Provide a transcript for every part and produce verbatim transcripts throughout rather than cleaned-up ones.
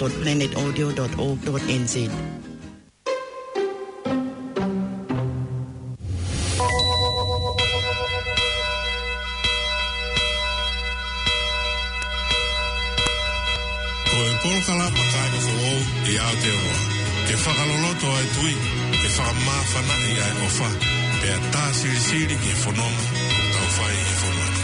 dot planet audio dot org dot N Z. Ko e polokalama kāinga foʻou ʻi Aotearoa. Ke fakaloloto ʻa e tui, ke fakamāfanaʻi ʻa e ʻofa, pea tā silisili ki he fononga ʻoku tau fai ʻi he fonua ni.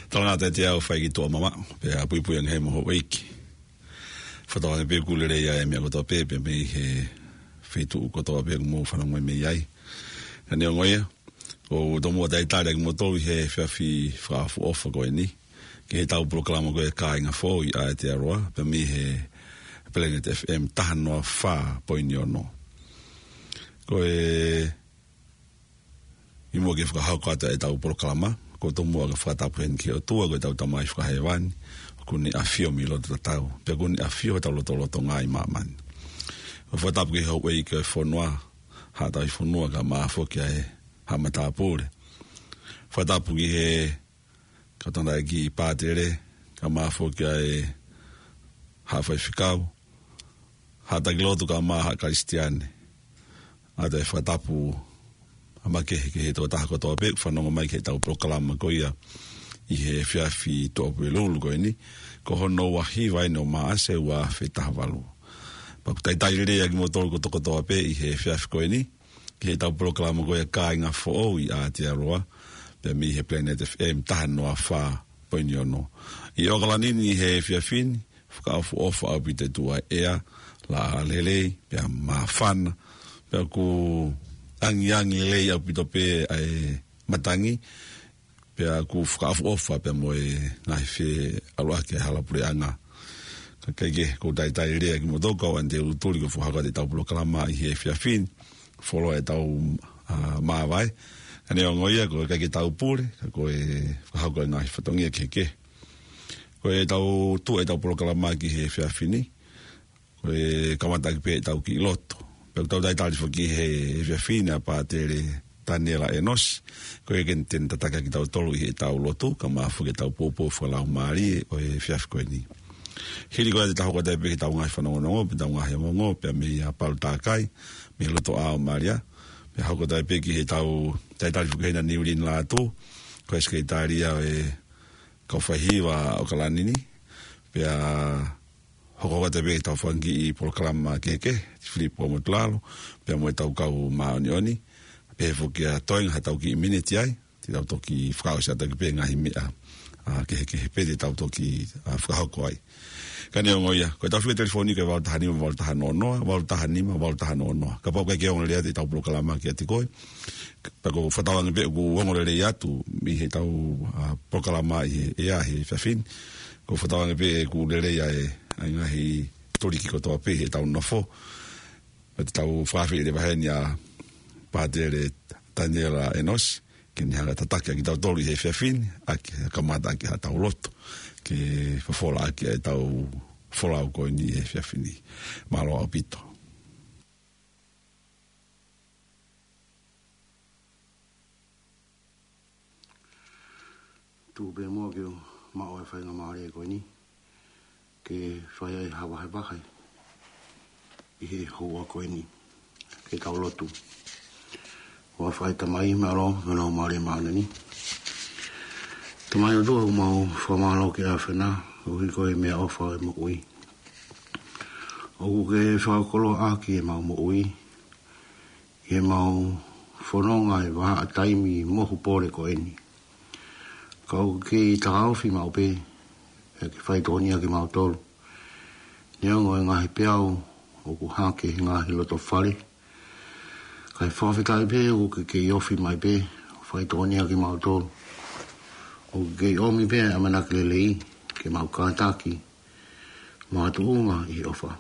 Talangata ʻe te au fai ki tuʻa mama, pea puipui ange he moho ʻeiki. Fakatauange pē ʻoku lelei ʻa e meʻa kotoa pē, pea mei he feituʻu kotoa pē ʻoku mou fanongo mei ai. Ka neongo ia, ʻoku ou tomuʻa talitali ʻa kimoutolu ʻi he efiafi fakaʻofoʻofa ko eni, ki heʻetau polokalama ko e Kāinga Foʻou ʻi Aotearoa, pea mei he Planet F M taha noa fā poini ono. Ko e ʻi muʻa ke fakahoko atu ʻetau polokalama, ʻoku ou tomuʻa ke fakatapu heni ki he ʻOtua ko ʻetau Tamai Fakahēvani, ʻoku ne ʻafio mei loto tatau, pea ʻoku ne ʻafio ʻi hotau lotolotonga ʻi māmani. ʻOku fakatapu ki he houʻeiki ʻo e fonua, Haʻa Tauhi Fonua, kae ʻumaʻā foki ʻa e Haʻa Matāpule. Fakatapu ki he kau tangataʻeiki pātele, kae ʻumaʻā foki ʻa e Haʻa Faifekau, Haʻa Taki Lotu kae ʻumaʻā Haʻa Kalisitiane. ʻOatu e fakatapu makehe ki he tokotaha kotoa pē ʻoku fanongo mai ki heʻetau polokalama ko ia ʻi he efiafi Tuʻapulelulu ko eni, ko hono ua hiva eni ʻo Maʻasi ua afe taha valu. Pea ʻoku talitali lelei ʻa kimoutolu kotoa kotoa pē ʻi he efiafi ko eni, ki heʻetau polokalama ko ia Kāinga Foʻou ʻi Aotearoa, pea mei he Planet F M taha noa fā poini ono. ʻI ʻOkalani ni he efiafi ni, fakaʻofoʻofa ʻaupito e tuʻa ʻea, laʻā lelei, pea māfana, pea ʻoku angiangi lelei ʻaupito pē ʻa e matangi, pea ʻoku fakaʻofoʻofa pea mo e ngaahi feʻaluʻaki ʻa e hala puleʻanga. Kae kehe, ʻoku ou talitali lelei ʻa kimoutolu kau ʻanetēlutuli ko e fakahoko atu ʻetau polokalama ʻi he efiafi ni, fuoloa ʻetau, ʻa, māvae. Ka neongo ia, ʻoku ʻikai ke tau pule, ka ko e fakahoko e ngaahi fatongia kehekehe. Ko ʻetau tuʻu ʻetau polokalama ki he efiafi ni, ko e kamataʻaki pē ʻetau kiʻi lotu. Pea ʻoku tau talitali foki he efiafi ni ʻa Pātele Taniela ʻEnosi, ko ia ke ne tataki kitautolu ʻi heʻetau lotu, kae ʻumaʻā foki ʻetau poupou fakalaumālie ʻo e efiafi ko eni. Hili ko ia te tau hoko atu pē ki heʻetau ngaahi fanongonongo, pea ʻetau ngaahi ongoongo, pea mei a Palu Takai, mei loto ʻAo Malia, pea hoko atu pē ki heʻetau talitali foki hena Niulini Lātū, ko e Sekelitali ʻo e kau faihiva ʻo ʻAokalani ni, pea hoko atu pē ʻetau fanga kiʻi polokalama kehekehe, Filipo Motulalo, pea mo ʻetau kau māʻoniʻoni, pea foki ʻe toenga haʻatau kiʻi miniti ai, te tau toki fakaʻosi atu ki he ngaahi meʻa, ʻa, kehekehe pē te tau toki, ʻa, fakahoko ai. Ka neongo ia, ko ʻetau fika telefoni ko e valu taha nima, valu taha noa noa, valu taha nima, valu taha noa noa. Kapau ʻoku ʻikai ke ongo lelei atu ʻetau polokalama kiate koe, pea ʻoku ou fakatauange pē ʻoku ongo lelei atu mei heʻetau, ʻa, polokalama ʻi he, ʻi he efiafi ni. ʻOku ou fakatauange pē ʻoku lelei ʻa e, ʻa e ngaahi tuliki kotoa pē heʻetau nofo. Pea te tau fakaafeʻi leva heni ʻa Pātele Taniela ʻEnosi, ke ne hanga ʻo tataki ʻaki kitautolu ʻi he efiafi ni, ʻaki, kamata ʻaki haʻatau lotu, ke fofola ʻaki ʻetau folau ko eni ʻi he efiafi ni. Mālō ʻaupito. Tuku pē muʻa ke u maʻu e faingamālie ko eni, ke fai ai ha vahevahe ʻi he houa ko eni. Ke tau lotu. ʻOfa ʻa e Tamai, mālō, mālō mālie māʻoniʻoni. Tamai ʻOtua, ʻoku mau fakamālō ki he ʻAfiona, koeʻuhi ko e meʻaʻofa ʻo e moʻui. ʻOku ke fakakoloa ʻaki ʻemau moʻui, ʻi heʻemau fononga he vahaʻa taimi mohu pole ko eni. Ka ʻoku ke takaofi maʻu pē, pea ke faitokonia kimautolu. Neongo e ngaahi peau ʻoku hake he ngaahi loto fale, kae fakafetaʻi pē ʻoku ke kei ofi mai pē, faitokonia kimautolu. ʻOku ke kei ʻomi pē ʻa e ʻamanaki lelei, ke mau kātaki, mo ha tuʻunga ʻi he ʻofa.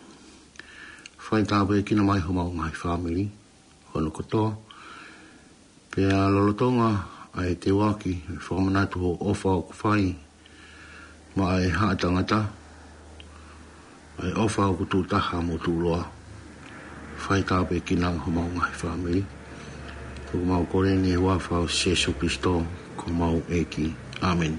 Fai tāpuekina mai homau ngaahi fāmili hono kotoa. Pea lolotonga ʻa e teuaki, ʻe fakamanatu hoʻo ʻofa ʻoku fai maʻa e haʻa tangata, ʻa e ʻofa ʻoku tuʻu taha mo tuʻuloa. Fai tāpuekina homau ngaahi fāmili. ʻOku mau kole ni ʻi he huafa ʻo Sīsū Kalaisi ko homau ʻEiki. ʻĀmeni.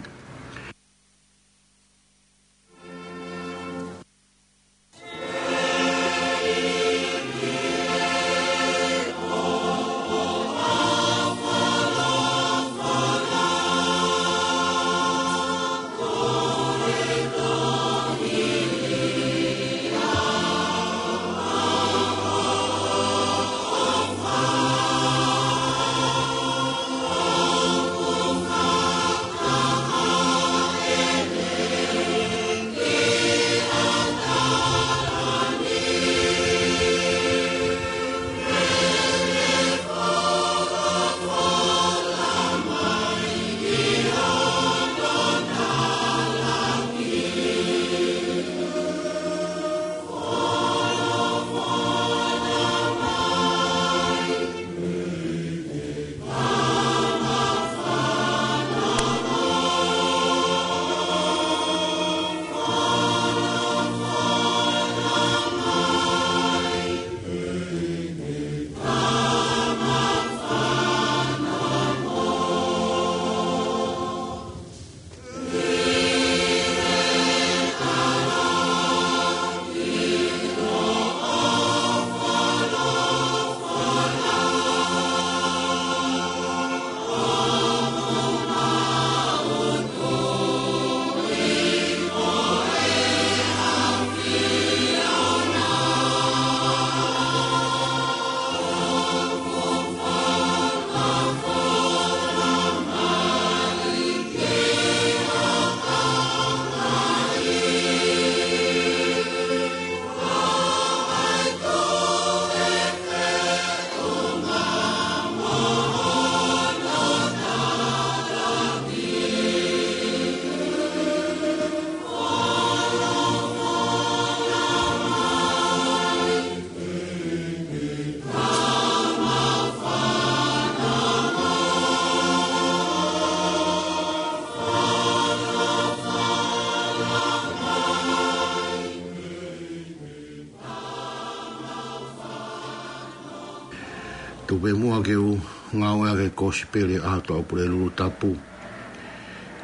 Tuku pē muʻa ke u ngāueʻaki e Kosipeli ʻa e ʻAho Pulelulu Tapu,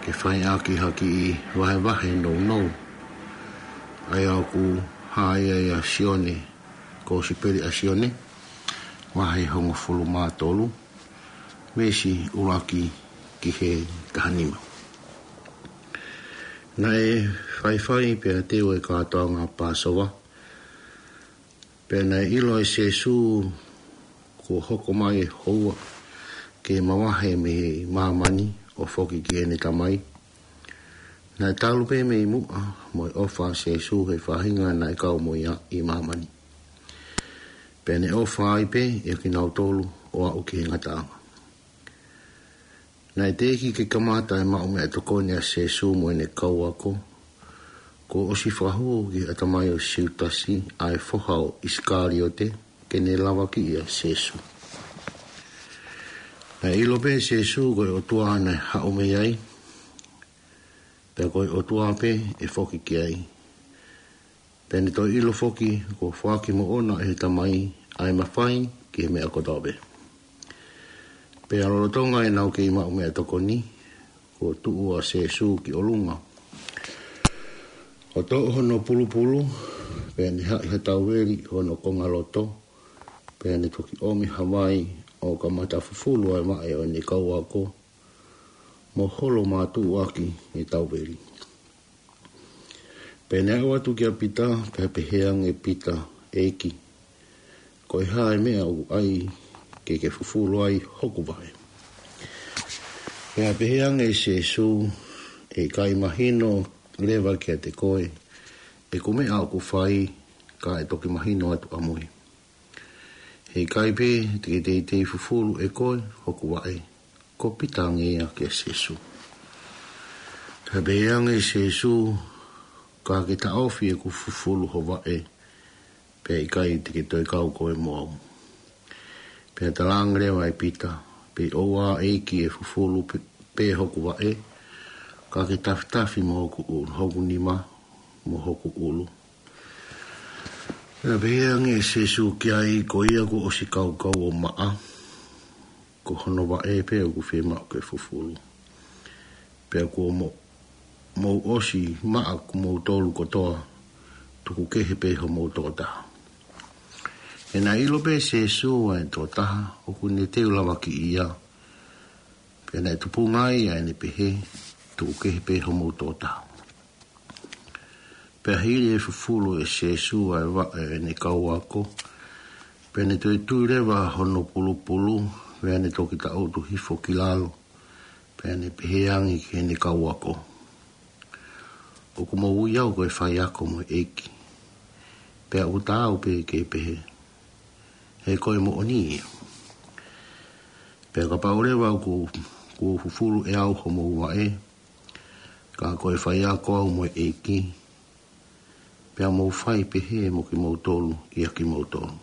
ke fai ʻaki ha kiʻi vahevahe nounou. ʻA ia ʻoku hā ia ʻia Sione, Kosipeli ʻa Sione, vahe hongofulu mā tolu, veesi ʻuluaki ki he taha nima. Naʻe faifai pea teu e kātoanga Pāsova. Pea naʻe ʻilo ʻe Sēsū kuo hoko mai e houa ke mavahe mei māmani ʻo foki ki heʻene Tamai. Naʻe talu pē mei muʻa mo e ʻofa ʻa Sēsū he faʻahinga naʻe kau mo ia ʻi māmani. Pea ne ʻofa ai pē ʻia kinautolu ʻo aʻu ki he ngataʻanga. Naʻe teʻeki ke kamata e maʻu meʻatokoni ʻa Sēsū mo ʻene kau ako, kuo ʻosi fakahū ki he ʻatamai ʻo Siutasi ʻa e foha ʻo ʻIsikaliote, ke ne lavakiʻi ʻa Sēsū. Naʻe ʻilo pē ʻe Sēsū ko e ʻOtua naʻe haʻu mei ai, pea ko e ʻOtua pē ʻe foki ki ai. Pea ne toe ʻilo foki kuo foaki moʻona ʻe he Tamai ʻa e mafai ki he meʻa kotoa pē. Pea lolotonga ʻenau kei maʻu meʻatokoni, kuo tuʻu ʻa Sēsū ki ʻolunga ʻo toʻo hono pulupulu, pea ne haʻi ha tauveli ʻi hono kongaloto, pea ne toki ʻomi ha vai ʻo kamata fufulu ʻa e vaʻe ʻo ʻene kau ako, mo holo mātuʻuaki e tauveli. Pea ne aʻu atu kia Pita, pea pehē ange ʻe Pita, ʻEiki, ko e hā e meʻa ʻoku ʻai ke ke fufulu ai hoku vaʻe? Pea pehē ange ʻe Sēsū, ʻE ʻikai mahino leva kiate koe ʻeku meʻa ʻoku fai, ka ʻe toki mahino atu ʻamui. He ʻikai pē te ke teitei fufulu ʻe koe hoku vaʻe. Ko Pita ange ia kia Sēsū. Pea pehē ange ʻe Sēsū, Ka ke taʻofi ʻeku fufulu ho vaʻe, pea ʻikai te ke toe kau koe mo au. Pea talaange leva ʻe Pita, Pea ʻoua ʻEiki ʻe fufulu pē, pē hoku vaʻe, ka ke tafitafi mo hoku ʻulu, hoku nima mo hoku ʻulu. Pea pehē ange ʻe Sēsū ki ai, Ko ia kuo ʻosi kaukau ʻo maʻa, ko hono vaʻe pē ʻoku fiemaʻu ke fufulu. Pea kuo mo-, mou ʻosi maʻa kimoutolu kotoa, tuku kehe pē homou tokotaha. He naʻe ʻilo pē ʻe Sēsū ʻa e tokotaha ʻoku ne teu lavakiʻi ia, pea naʻe tupunga ai ʻa ʻene pehē, Tuku kehe pē homou tokotaha. Pea hili e fufulu ʻe Sēsū ʻa e vaʻe ʻo ʻene kau ako, pea ne toe tui leva hono pulupulu, pea ne toki taʻutu hifo ki lalo, pea ne pehē ange ki heʻene kau ako, ʻOku mou ui au ko e faiako mo e ʻeiki, pea ʻoku taau pē ke pehē, he ko e moʻoni ia. Pea kapau leva ʻoku, kuo fufulu ʻe au homou vaʻe, ka ko e faiako au mo e ʻeiki, pea mou fai pehē mo kimoutolu ʻia kimoutolu.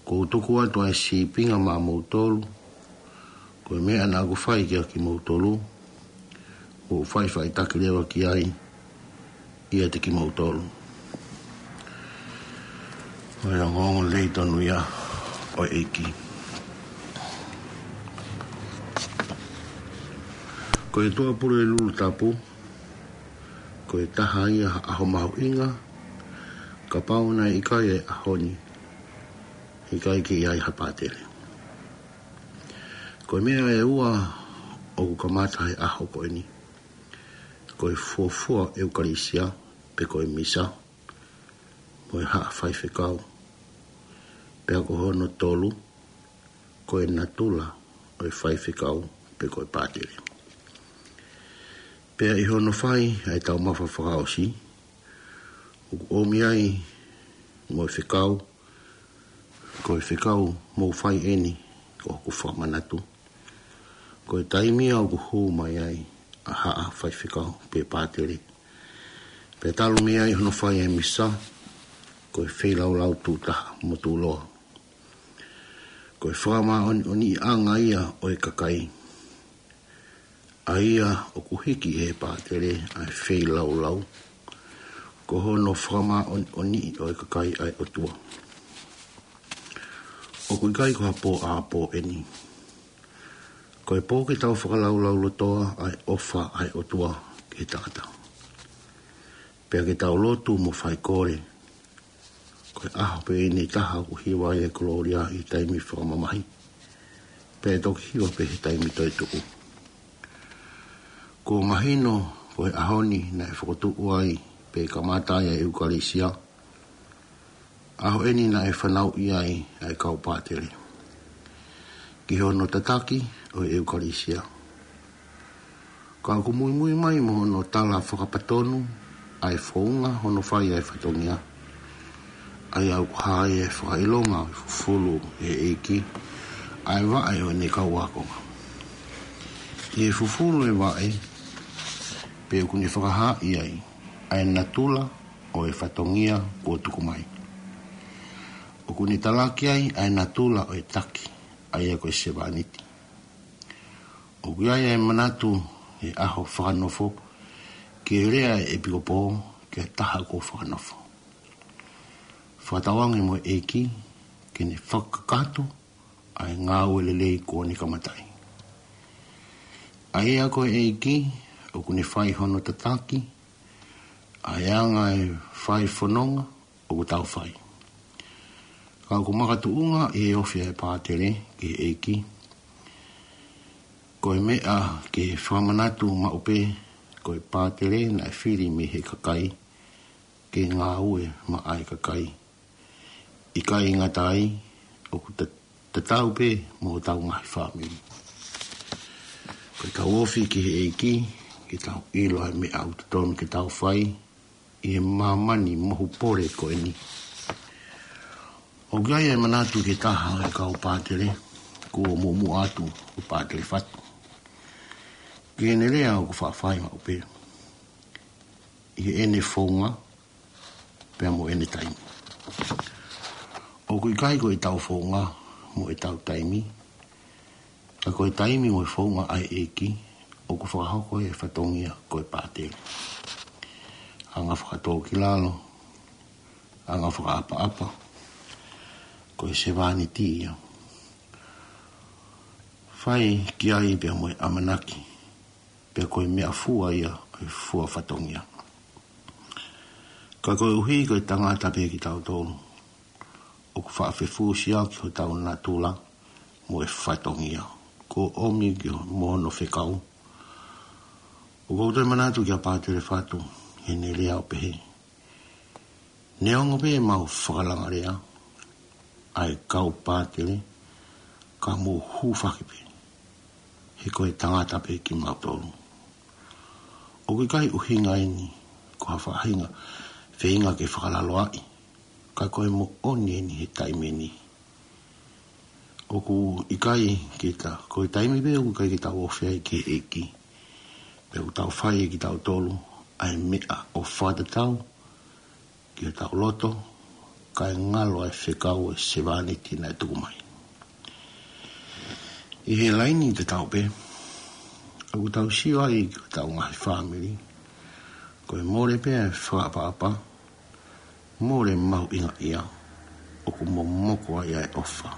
Kuo u tuku atu ʻa e sīpinga maʻamoutolu, ko e meʻa naʻa ku fai kia kimoutolu, kuo u faʻifaʻitaki leva ki ai ʻiate kimoutolu. Ko e ongoongo lelei tonu ia ʻo e ʻEiki. Ko e ʻOtua Pulelulu Tapu, ko e taha ia ha ʻaho mahuʻinga, kapau naʻe ʻikai e ʻaho ni, ʻikai ke ʻi ai ha pātele. Ko e meʻa ʻe ua ʻoku kamata he ʻaho ko eni, ko e fuofua ʻEukalisia, pe ko e Misa, mo e haʻa faifekau. Pea ko hono tolu, ko e natula ʻo e faifekau pe ko e pātele. Pea ʻi hono fai ʻa e taumafa fakaʻosi, ʻoku ʻomi ai mo e fekau, ko e fekau mou fai eni ko hoku fakamanatu. Ko e taimi ia ʻoku hū mai ai ʻa haʻa faifekau pe pātele. Pea talu mei ai hono fai e Misa, ko e feilaulau tuʻu taha mo tuʻuloa. Ko e fakamāʻoniʻoniʻanga ia ʻo e kakai. ʻA ia ʻoku hiki ʻe he pātele ʻa e feilaulau, ko hono fakamāʻoniʻoniʻi ʻo e kakai ʻa e ʻOtua. ʻOku ʻikai ko ha pō ʻa pō eni. Ko e pō ke tau fakalaulaulotoa ʻa e ʻofa ʻa e ʻOtua ki he tangata. Pea ke tau lotu mo faikole. Ko e ʻaho pē eni taha ʻoku hiva ai e kolōlia ʻi he taimi fakamamahi. Pea toki hiva pē he taimi toetuʻu. Kuo mahino Ko e ʻaho ni naʻe fokotuʻu ai pe kamata ai ʻa e ʻEukalisia. ʻAho eni naʻe fanauʻi ai ʻa e kau pātele ki hono tataki ʻo e ʻEukalisia. Ka ʻoku muimui mai mo hono tala fakapatonu ʻa e founga hono fai ʻa e fatongia, ʻa ia ʻoku hā ai e fakaʻilonga ʻo e fufulu ʻe he ʻEiki ʻa e vaʻe ʻo ʻene kau ākonga. ʻI he fufulu e vaʻe, pea ʻoku ne fakahaaʻi ai ʻa e natula ʻo e fatongia kuo tuku mai. ʻOku ne talaki ai ʻa e natula ʻo e taki, ʻa ia ko e sevāniti. ʻOku ʻi ai ʻa e manatu he ʻaho fakanofo ki he lea ʻa e ʻepikopō ki ha taha kuo fakanofo. Fakatauange mo e ʻEiki ke ne fakakakato ʻa e ngāue lelei kuo ne kamataʻi. ʻA ia ko e ʻEiki ʻoku ne fai hono tataki ʻa e anga e fai fononga ʻoku tau fai. Ka ʻoku makatuʻunga ʻi he ofi ʻa e pātele ki he ʻEiki, ko e meʻa ke fakamanatu maʻu pē, ko e pātele naʻe fili mei he kakai ke ngāue maʻa e kakai. ʻIkai ngata ai, ʻoku ta-, tatau pē mo hotau ngaahi fāmili. Ko ʻetau ofi ki he ʻEiki, ke tau ʻilo ʻa e meʻa ʻoku totonu ke tau fai ʻi he māmani mohu pole ko eni. ʻOku ʻi ai e manatu ki he taha ʻo e kau pātele, kuo muʻomuʻa atu ko Pātele Fatu, ki heʻene lea ʻoku faʻa fai maʻu pē ʻi heʻene founga pea mo ʻene taimi. ʻOku ʻikai ko ʻetau founga mo ʻetau taimi, ka ko e taimi mo e founga ʻa e ʻEiki ʻoku fakahoko he fatongia ko e pātele. Anga fakatōkilalo, anga fakaʻapaʻapa, ko e sevāniti ia. Fai ki ai pea mo e ʻamanaki, pea ko e meʻafua ia ʻo e fua fatongia. Ka koeʻuhi ko e tangata pē kitautolu, ʻoku faʻa fefusiaki hotau natula mo e fatongia kuo ʻomi ki ho-, mo hono fekau. ʻOku ou toe manatu kia Pātele Fatu heʻene lea ʻo pehē: Neongo pē ʻemau fakalangalea ʻa e kau pātele, ka mou hūfaki pē, he ko e tangata pē kimautolu. ʻOku ʻikai ʻuhinga eni ko ha faʻahinga feinga ke fakalaloaʻi, ka ko e moʻoni eni he taimi ni. ʻOku ʻikai ke ta, ko e taimi pē ʻoku ʻikai ke tau ofi ai ki he ʻEiki, pea ʻoku tau fai ʻe kitautolu ʻa e meʻa ʻo fakatatau ki hotau loto, kae ngalo ʻa e fekau ʻa e sevāniti naʻe tuku mai. ʻI he laini tatau pē, ʻoku tau sio ai ki hotau ngaahi fāmili, ko e mole pē ʻa e fakaʻapaʻapa, mole mahuʻinga ia, ʻoku momoko ai ʻa e ʻofa.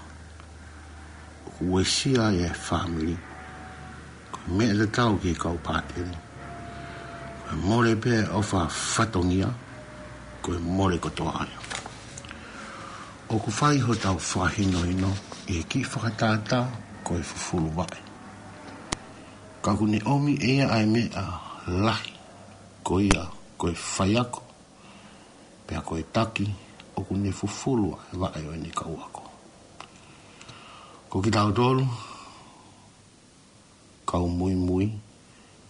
ʻOku uesia ai ʻa e fāmili. Ko e meʻa tatau ki he kau pātele, ko e mole pē ʻa e ʻofa fatongia, ko e mole kotoa ia. ʻOku fai hotau fakahinohino ʻi he kiʻi fakatātā ko e fufulu vaʻe. Ka ʻoku ne ʻomi ʻe ia ʻa e meʻa lahi, ko ia ko e faiako, pea ko e taki, ʻoku ne fufulu ʻa e vaʻe ʻo ʻene kau ako. Ko kitautolu, kau muimui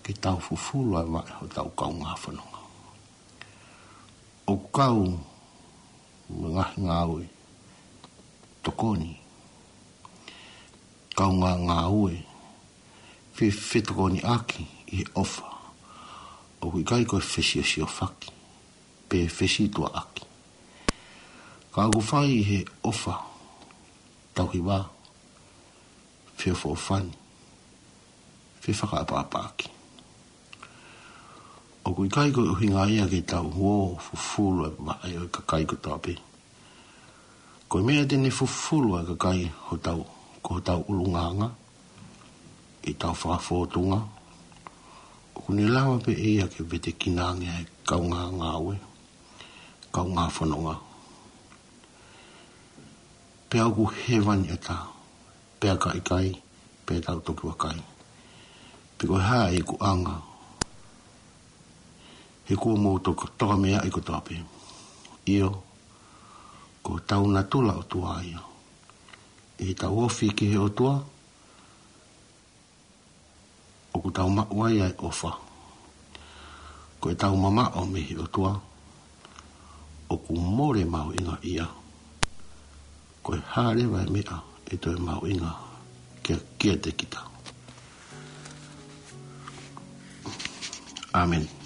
ke tau fufulu ʻa e vaʻe hotau kaungā fononga. ʻOku kau mo e ngaahi ngāue tokoni, kaungā ngāue fe-, fetokoniʻaki ʻi he ʻofa. ʻOku ʻikai ko e fesiosiofaki pe fesituaʻaki. Ka ʻoku fai ʻi he ʻofa, tauhi vā, feʻofoʻofani, fefakaʻapaʻapaʻaki. ʻOku ʻikai ko e ʻuhinga ia ke tau ō ʻo fufulu ʻa e vaʻe ʻo e kakai kotoa pē. Ko e meʻa te ne fufulu ʻa e kakai hotau, ko hotau ʻulungaanga, ʻi heʻetau fakafōtunga, ʻoku ne lava pē ʻe ia ke vetekina ange ʻa e kaungā ngāue, kaungā fononga. Pea ʻoku hēvani ʻatā, pea ka ʻikai, pea tau toki vakai pe ko e hā ʻa e ikuʻanga He kuo mou toko-, tokameaʻi kotoa pē. ʻIo, ko hotau natula ʻOtua ia. ʻI heʻetau ofi ki he ʻOtua, ʻoku tau maʻu ai ʻa e ʻofa. Ko ʻetau mamaʻo mei he ʻOtua, ʻoku mole mahuʻinga ia. Ko e hā leva e meʻa ʻe toe mahuʻinga kia, kiate kita. ʻĀmeni.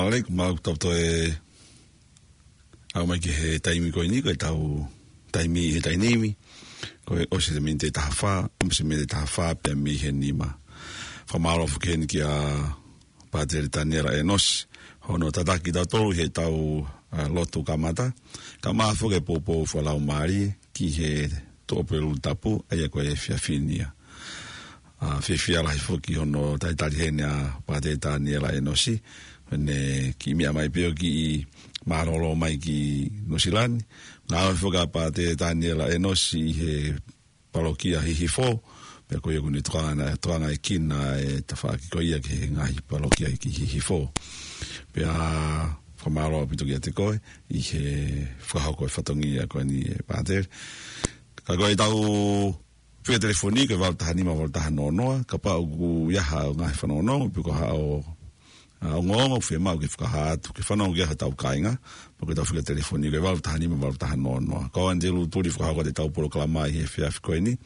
Mālō, ʻoku mau tau toe aʻu mai ki he taimi ko eni, ko ʻetau taimi ʻi he taimi ni, ko e ʻosi e miniti ʻe taha fā, ʻosi e miniti ʻe taha fā pea mei he nima. Fakamālō foki heni kia Pātele Taniela ʻEnosi, hono tataki tautolu heʻetau, ʻa, lotu kamata, kae ʻumaʻā foki e poupou fakalaumālie ki he Tuʻapulelulu Tapu, ʻa ia ko e efiafi ni ia. ʻA, fiefia lahi foki hono talitali heni ʻa Pātele Taniela ʻEnosi, ʻene kiʻi meʻa mai pē ʻo kiʻi mālōlō mai ki Nuʻusila ni. Ngāue foki ʻa Pātele Taniela ʻEnosi ʻi he palokia Hihifo, pea ko ia ʻoku ne tokanga, tokanga e kina e tafaʻaki ko ia ki he ngaahi palokia ki Hihifo. Pea fakamālō ʻaupito kiate koe ʻi he fakahoko e fatongia ko eni ʻe Pātele. Ka ko ʻetau fika telefoni ko e valu taha nima valu taha noa noa, kapau ʻoku ʻi ai haʻo ngaahi fanongonongo, pe ko haʻo, ʻa, ongoongo ʻoku fiemaʻu ke fakahā atu, ke fanongo ki ai hotau kāinga, pea ko ʻetau fika telefoni ko e valu taha nima valu taha noa noa. Ko ʻAnitelū Tuli fakahoko atu ʻetau polokalama ʻi he efiafi ko eni,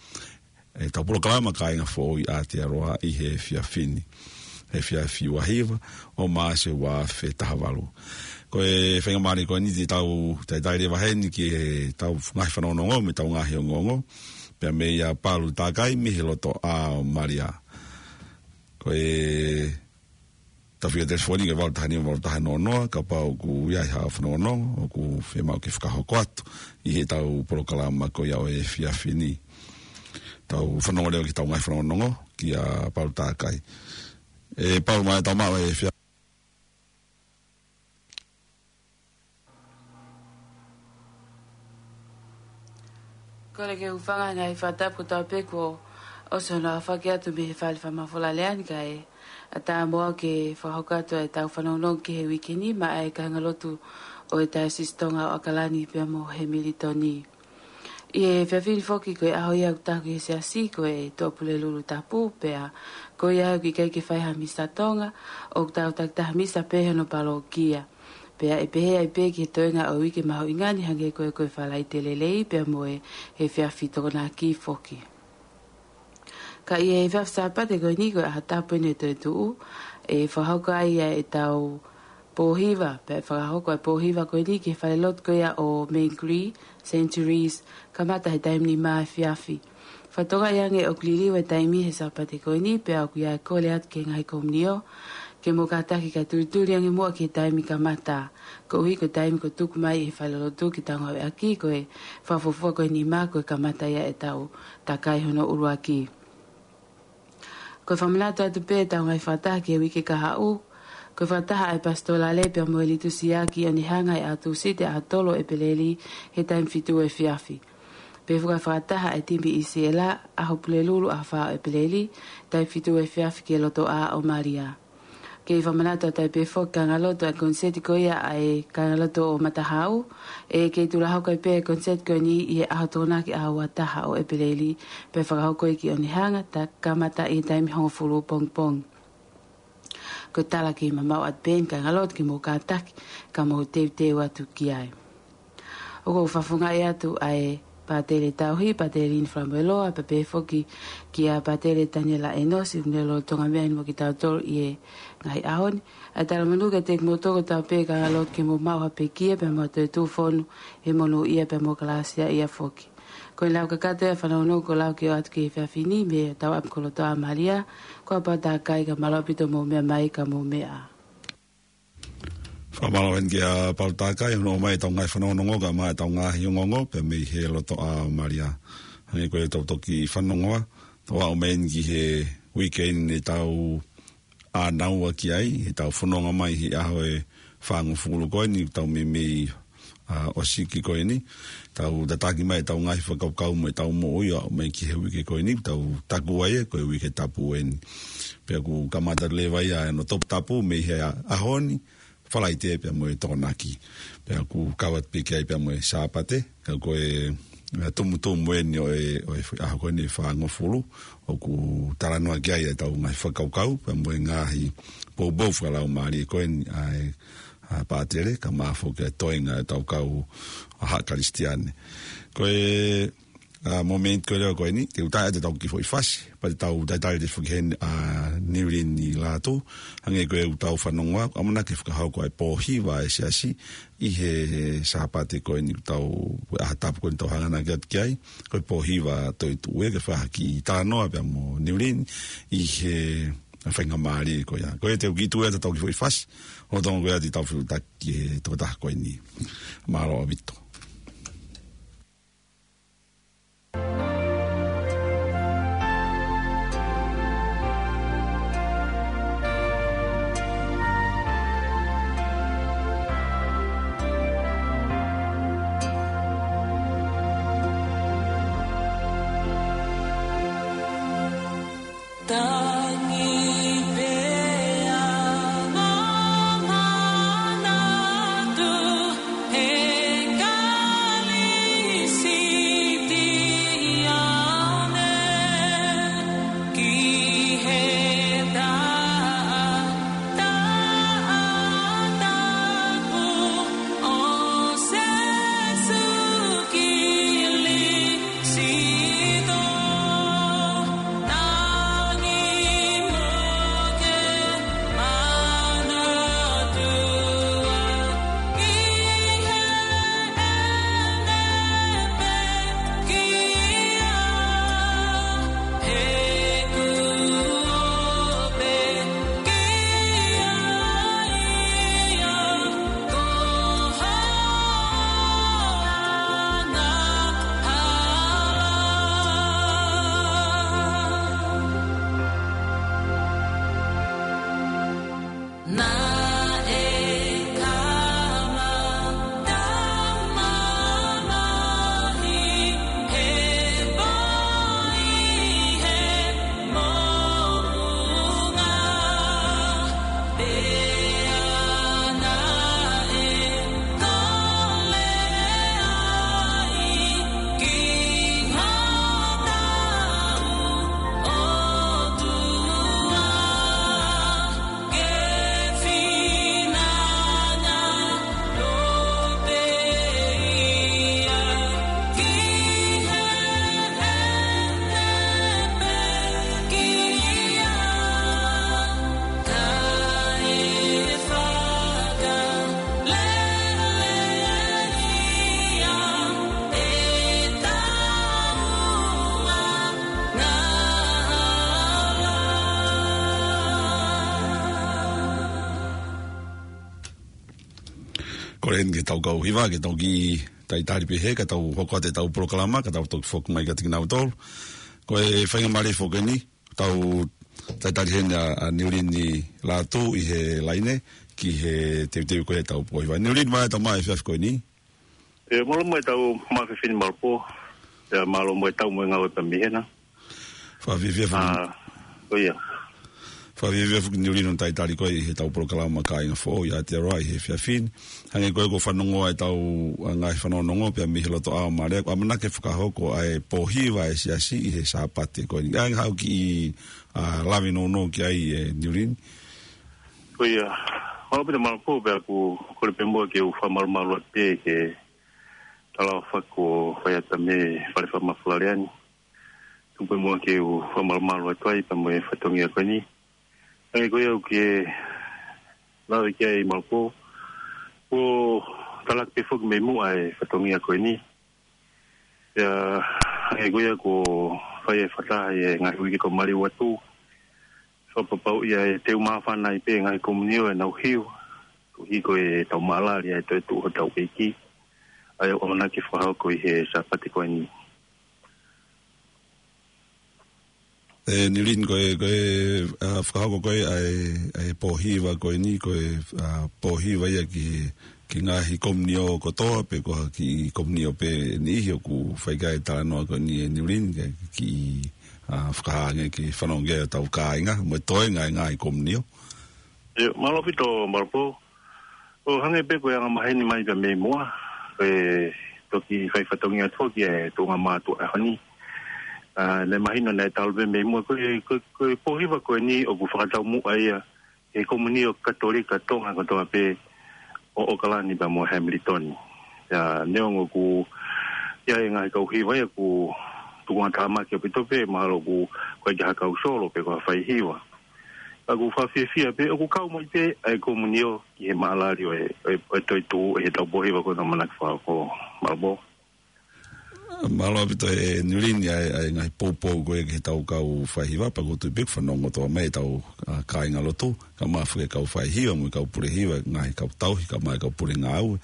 ʻetau polokalama Kāinga Foʻou ʻi Aotearoa ʻi he efiafi ni. Efiafi ua hiva ʻo Maʻasi ua afe taha valu. Ko e faingamālie ko eni te tau talitali leva heni ki heʻetau ngaahi fanongonongo mo ʻetau ngaahi ongoongo. Pea meia Palu Takai mei he Lotoʻā ʻo Malia. Ko ʻetau fika telefoni ko e valu taha nima valu taha noa noa, kapau ʻoku ʻi ai haʻo fanongonongo, ʻoku fiemaʻu ke fakahoko atu ʻi heʻetau polokalama ko ia ʻo e efiafi ni. Tau fanongo leva ki heʻetau ngaahi fanongonongo, kia Palu Takai. ʻE Palu, maʻa e tau maʻu e efiafi. Kole ke u hūfanga he ngaahi fakatapu kotoa pē kuo ʻosi hono aofaki atu mei he fale fakamafola lea ni kae ʻatā moʻoku ke fakahoko atu ʻetau fanongonongo ki he uike ni maʻa e kāingalotu ʻo e Taiosisi Tonga ʻo ʻAokalani pea mo Hemilitoni. ʻI he efiafi ni foki ko e ʻaho ia ʻoku taha ki he Siasi ko e Tuʻapulelulu Tapu pea ko ia ʻoku ʻikai ke fai ha misa Tonga, ʻoku tau takitaha misa pē hono palōkia. Pea ʻe pehē ai pē ki he toenga ʻo e uike mahuʻinga ni hangē ko e, ko e Falaite Lelei pea mo e efiafi Tokonaki foki. Ka ʻi he efiafi Sāpate ko eni ko e ʻaho tapu eni ʻo e toetuʻu, ʻe fakahoko ai ʻetau pōhiva, pea fakahoko e pōhiva ko eni ki he falelotu ko ia ʻo Mangere, Saint Therese, kamata he taimi nima efiafi. Fakatokangaʻi ange ʻoku liliu e taimi he Sāpate ko eni, pea ʻoku ʻi ai e kole atu ki he ngaahi komiunio, ke mou kātaki kae tulituli ange muʻa ki he taimi kamata. Koeʻuhi ko e taimi kuo tuku mai ʻe he falelotu ke tau ngāueʻaki, ko e fakafuofua ko e nima ko e kamata ia ʻetau takai hono ʻuluaki. Ko e fakamanatu atu pē ʻetau ngaahi fakataha ki he uike kahaʻu, ko e fakataha ʻa e Pasitōlale pea mo e Litusia ki ʻOnehunga ʻi he ʻaho Tūsite ʻaho tolu ʻEpeleli he taimi fitu efiafi. Pea foki ʻa e fakataha ʻa e timi ʻi Siela ʻaho Pulelulu ʻaho fā ʻEpeleli, taimi fitu efiafi ki he Lotoʻā ʻo Malia. Kei fakamanatu atu ai pē foki kāingalotu ʻa e koniseti ko ia ʻa e kāingalotu ʻo Matahau, ʻe kei tulahoko ai pē e koniseti ko eni ʻi he ʻaho Tokonaki ʻaho ua taha ʻo ʻEpeleli, pea fakahoko ia ki ʻOnehunga, ta kamata ʻi he taimi hongofulu pongipongi. Ko e tala ke mamaʻo atu pē eni kāingalotu ke mou kātaki, ka mou teuteu atu ki ai. ʻOku ou fakafofongaʻi atu ʻa e Pātele Tauhi, Pātele Lini Falamoeloa, pea pehē foki kia Pātele Taniela ʻEnosi, ʻoku ne lolotonga meʻa ni mo kitautolu ʻi he ngaahi ʻaho ni. ʻA e talamonū kiate kimoutolu kotoa pē kāingalotu ke mou maʻu ha pekia pea mo e toetuʻu fonu he monūʻia pea mo kalāsiaʻia foki. Ko e lau kakato ia e fanongonongo kuo lau ke ʻoatu ki he efiafi ni mei hotau ʻapi ko Lotoʻā Malia, ko Palu Takai, ka mālō ʻaupito hoʻomou meʻa mai, ka mou meʻa ā. Fakamālō eni kia Palu Takai, hono ʻomai ʻetau ngaahi fanongonongo, kae ʻumaʻā ʻetau ngaahi ongoongo, pea mei he Lotoʻā Malia. Hangē ko ʻetau toki fanongoa, tau aʻu mai eni ki he uike ni ʻetau ʻānaua ki ai, heʻetau fononga mai he ʻaho ʻe fāngofulu ko eni, tau meimei, ʻa, ʻosiki ko eni, tau tataki mai ʻetau ngaahi fakakaukau mo ʻetau moʻui ʻo aʻu mai ki he uike ko eni, tau takua ia ko e uike tapu eni. Pea ʻoku kamata leva ia ʻa hono toputapu mei he ʻaho ni, Falaite pea mo e Tokonaki. Pea ʻoku kau atu pē ki ai pea mo e Sāpate, ka ko e, ʻa, tumutumu eni ʻo e, ʻo e ʻaho ko eni ʻe fāngofulu, ʻoku talanoa ki ai ʻetau ngaahi fakakaukau, pea mo e ngaahi poupou fakalaumālie ko eni ʻa e, ʻa, Pātele, kae ʻumaʻā foki e toenga ʻetau kau ʻa haʻa Kalisitiane. Ko e, ʻa, mōmeniti ko ē leva ko eni, te u tā atu ʻetau kiʻi foʻi fasi, pea te tau talitali foki heni ʻa Niulini Lātū, hangē ko ʻetau fanongoa, ʻamanaki ke fakahoko ʻa e pōhiva ʻa e Siasi, ʻi he Sāpate ko eni ʻoku tau, ʻaho tapu ko eni tau hanganaki atu ki ai, ko e pōhiva toetuʻu, ke fakahoko e talanoa pea mo Niulini, ʻi he faingamālie ko ia. Ko ia te u kiʻi tuku atu ʻetau kiʻi foʻi fasi, ʻo tō ko ia te tau fetuʻutaki ki he tokotaha ko eni. Mālō ʻaupito. Tangi pea mo manatu he Kalisiti Ke tau kau hiva, ke tau kiʻi talitali pē he, ka tau hoko atu ʻetau polokalama, ka tau toki foki mai kiate kinautolu. Ko e faingamālie foki eni, tau talitali heni ʻa, ʻa Niulini Lātū ʻi he laine, ki he teuteu ko ē ʻetau pō hiva. Niulini, mālō e tau maʻu e efiafi ko eni. ʻE, mālō mo e tau maʻu e efiafi ni Malopō. ʻE, mālō mo e tau mo e ngāue pē mei hena. Fakafiefia foki. ʻA, ko ia. Fakafiefia foki Niulini hono talitali ko ē ʻi heʻetau polokalama Kāinga Foʻou ʻi Aotearoa ʻi he efiafi ni. Hangē ko ē kuo fanongo ai ʻetau, ʻa, ngaahi fanongonongo pea mei he loto ʻao mālie, ʻoku ʻamanaki ke fakahoko ʻa e pō hiva ʻa e siasi ʻi he Sāpate ko eni. ʻA, haʻu kiʻi, ʻa, lave nounou ki ai ʻe Niulini. Ko ia. Mālō Pita Malopō, pea ʻoku ou kole pē muʻa ke u fakamalumalu atu pē ki he talaʻofa kuo fai atu mei he Fale Fakamafola Lea ni. Tuku pē muʻa ke u fakamalumalu atu ai pea mo e fatongia ko eni. Hangē ko ia ʻoku ke lave ki ai Malopō, kuo talaki pē foki mei muʻa e fatongia ko eni. Pea hangē ko ia kuo fai e fakataha ʻi he ngaahi uike kuo maliu atu, fakapapauʻi ʻa e teu māfana ai pē ngaahi komunio ʻenau hiva, koeʻuhi ko e tau maʻalali ʻa e toetuʻu hotau ʻEiki, ʻa ia ʻoku ʻamanaki ke fakahoko ʻi he Sāpate ko eni. ʻE, Niulini, ko e, ko e, ʻa, fakahoko ko ē ʻa e, ʻa e pō hiva ko eni, ko e, ʻa, pō hiva ia ki he, ki he ngaahi komunio kotoa, pe ko ha kiʻi komunio pē niʻihi ʻoku fai ki ai e talanoa ko eni ʻe Niulini, ke, ke, ʻa, fakahā ange ke fanongo ki ai hotau kāinga, mo e toenga e ngaahi komunio. ʻE, mālō Pita Malopō. ʻO hangē pē ko e anga maheni mai pea mei muʻa, ʻe toki fai fatongia atu ki he tuʻunga mātuʻa ʻaho ni. ʻA, naʻe mahino naʻe talu pē mei muʻa ko e, ko e, ko e pō hiva ko eni ʻoku fakataumuʻa ia ʻe he komunio Katolika Tonga kotoa pē ʻo ʻOkalani pea mo Hamilton. ʻIa, neongo ʻoku ʻi ai e ngaahi kau hiva ia ʻoku tukuange tāmaki ʻaupito pē, mahalo ʻoku ʻikai ke ʻi ai ha kau solo pe ko ha fai hiva. Ka ʻoku fakafiefia pē, ʻoku kau mai pē ʻa e komunio ki he maʻalali ʻo e, ʻo e, ʻo e toetuʻu ʻi heʻetau pō hiva ko ē ʻoku ʻamanaki ke fakahoko Malopō. Mālō ʻaupito ʻe Niulini ʻa e, ʻa e ngaahi poupou ko ē ki heʻetau kau fai hiva, pea ʻoku ou tui pē ʻoku fanongo kotoa mai ʻetau, ʻa, kāingalotu, kae ʻumaʻā foki e kau fai hiva, mo e kau pule hiva, ngaahi kau tauhi, kae ʻumaʻā e kau pule ngāue.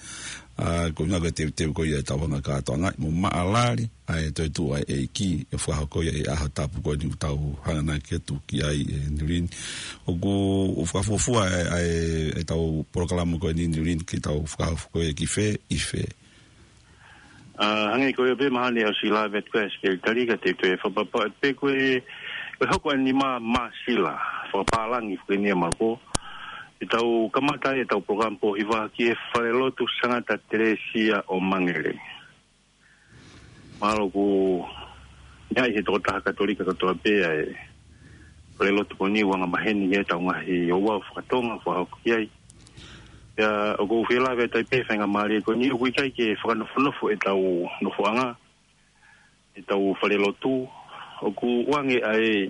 ʻA, ko e ʻuhinga ko e teuteu ko ia ʻetau anga kātoanga, mo maʻalali ʻa e toetuʻu ʻa e ʻEiki, ʻe fakahoko ia ʻi he ʻaho tapu ko eni ʻoku tau hanganaki atu ki ai ʻe Niulini. ʻOku, ʻoku fakafuofua ʻa e, ʻa e, ʻetau polokalama ko eni Niulini ke tau fakahoko ia ki fē, ʻi fē. ʻA, hangē ko ia pē mahalo ʻosi lave atu ko ē ʻa e Sekelitali ka te u toe fakapapauʻi pē ko e, ko e hoko ʻa e nima Māsila, fakapālangi foki eni ia Malopō. ʻE tau kamata ai ʻetau polokalama pō hiva ki he Falelotu Sangata Telesia ʻo Mangere. Mahalo ʻoku ʻi ai he tokotaha Katolika kotoa pē ʻa e falelotu ko eni ʻoku anga maheni ʻi heʻetau ngaahi ouau faka-Tonga ʻoku fakahoko ki ai. Pea ʻoku ou fie lave atu ai pē he faingamālie ko eni ʻoku ʻikai ke fakanofonofo ʻetau nofoʻanga, ʻetau falelotu, ʻoku ʻoange ʻa e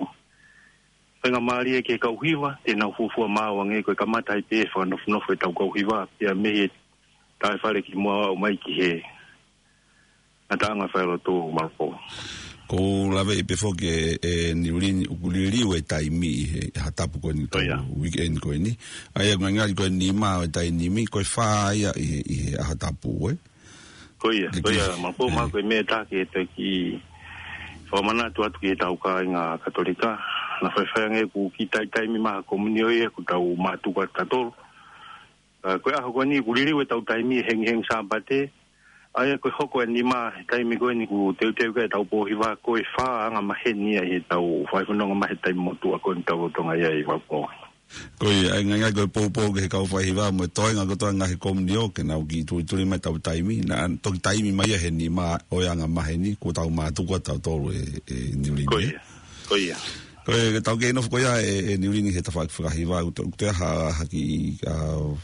faingamālie ki he kau hiva, te nau fuofua maʻu ange ko e kamata ai pē fakanofonofo ʻetau kau hiva, pea mei he taʻe fale ki muʻa ʻo aʻu mai ki he ngataʻanga falelotu Malopō. ʻOku ou lave pē foki ʻe, ʻe Niulini ʻoku liliu e taimi ʻi he ʻaho tapu ko eni, ʻio, tau weekend ko eni. ʻA ia ʻoku ngalingali ko e nima ʻo e taimi ni, ko e fā ia ʻi he, ʻi he ʻaho tapu, ē? Ko ia, ko ia, Malopō, mahalo ko e meʻa ʻe taha ke toki fakamanatu atu ki heʻetau kāinga Katolika. Naʻe faifai ange ʻoku kiʻi taimi mai ha komunio ia ʻoku tau mātuku ʻa tautolu. ʻA, ko e ʻaho ko eni ʻoku liliu ʻetau taimi he hengihengi Sāpate. ʻA ia ko e hoko e nima he taimi ko eni ʻoku teuteu ki ai ʻetau pō hiva ko e fā anga maheni ia ʻi heʻetau faifononga mai he taimi motuʻa ko eni ʻoku tau lolotonga ʻi ai Malopō. Ko ia, ʻa e ngalingali ko e poupou ki he kau fai hiva mo e toenga kotoa e ngaahi komunio ke nau kiʻi tulituli mai ʻetau taimi. Naʻa toki taimi mai ia he nima ʻo e anga maheni kuo tau mātuku ʻa tautolu ʻe, ʻe Niulini. Ko ia, ko ia. Ko e, tau kei nofo ko ia ʻe, ʻe Niulini he tafaʻaki fakahiva, ʻoku toe, ʻoku toe ʻi ai ha, ha kiʻi, ʻa,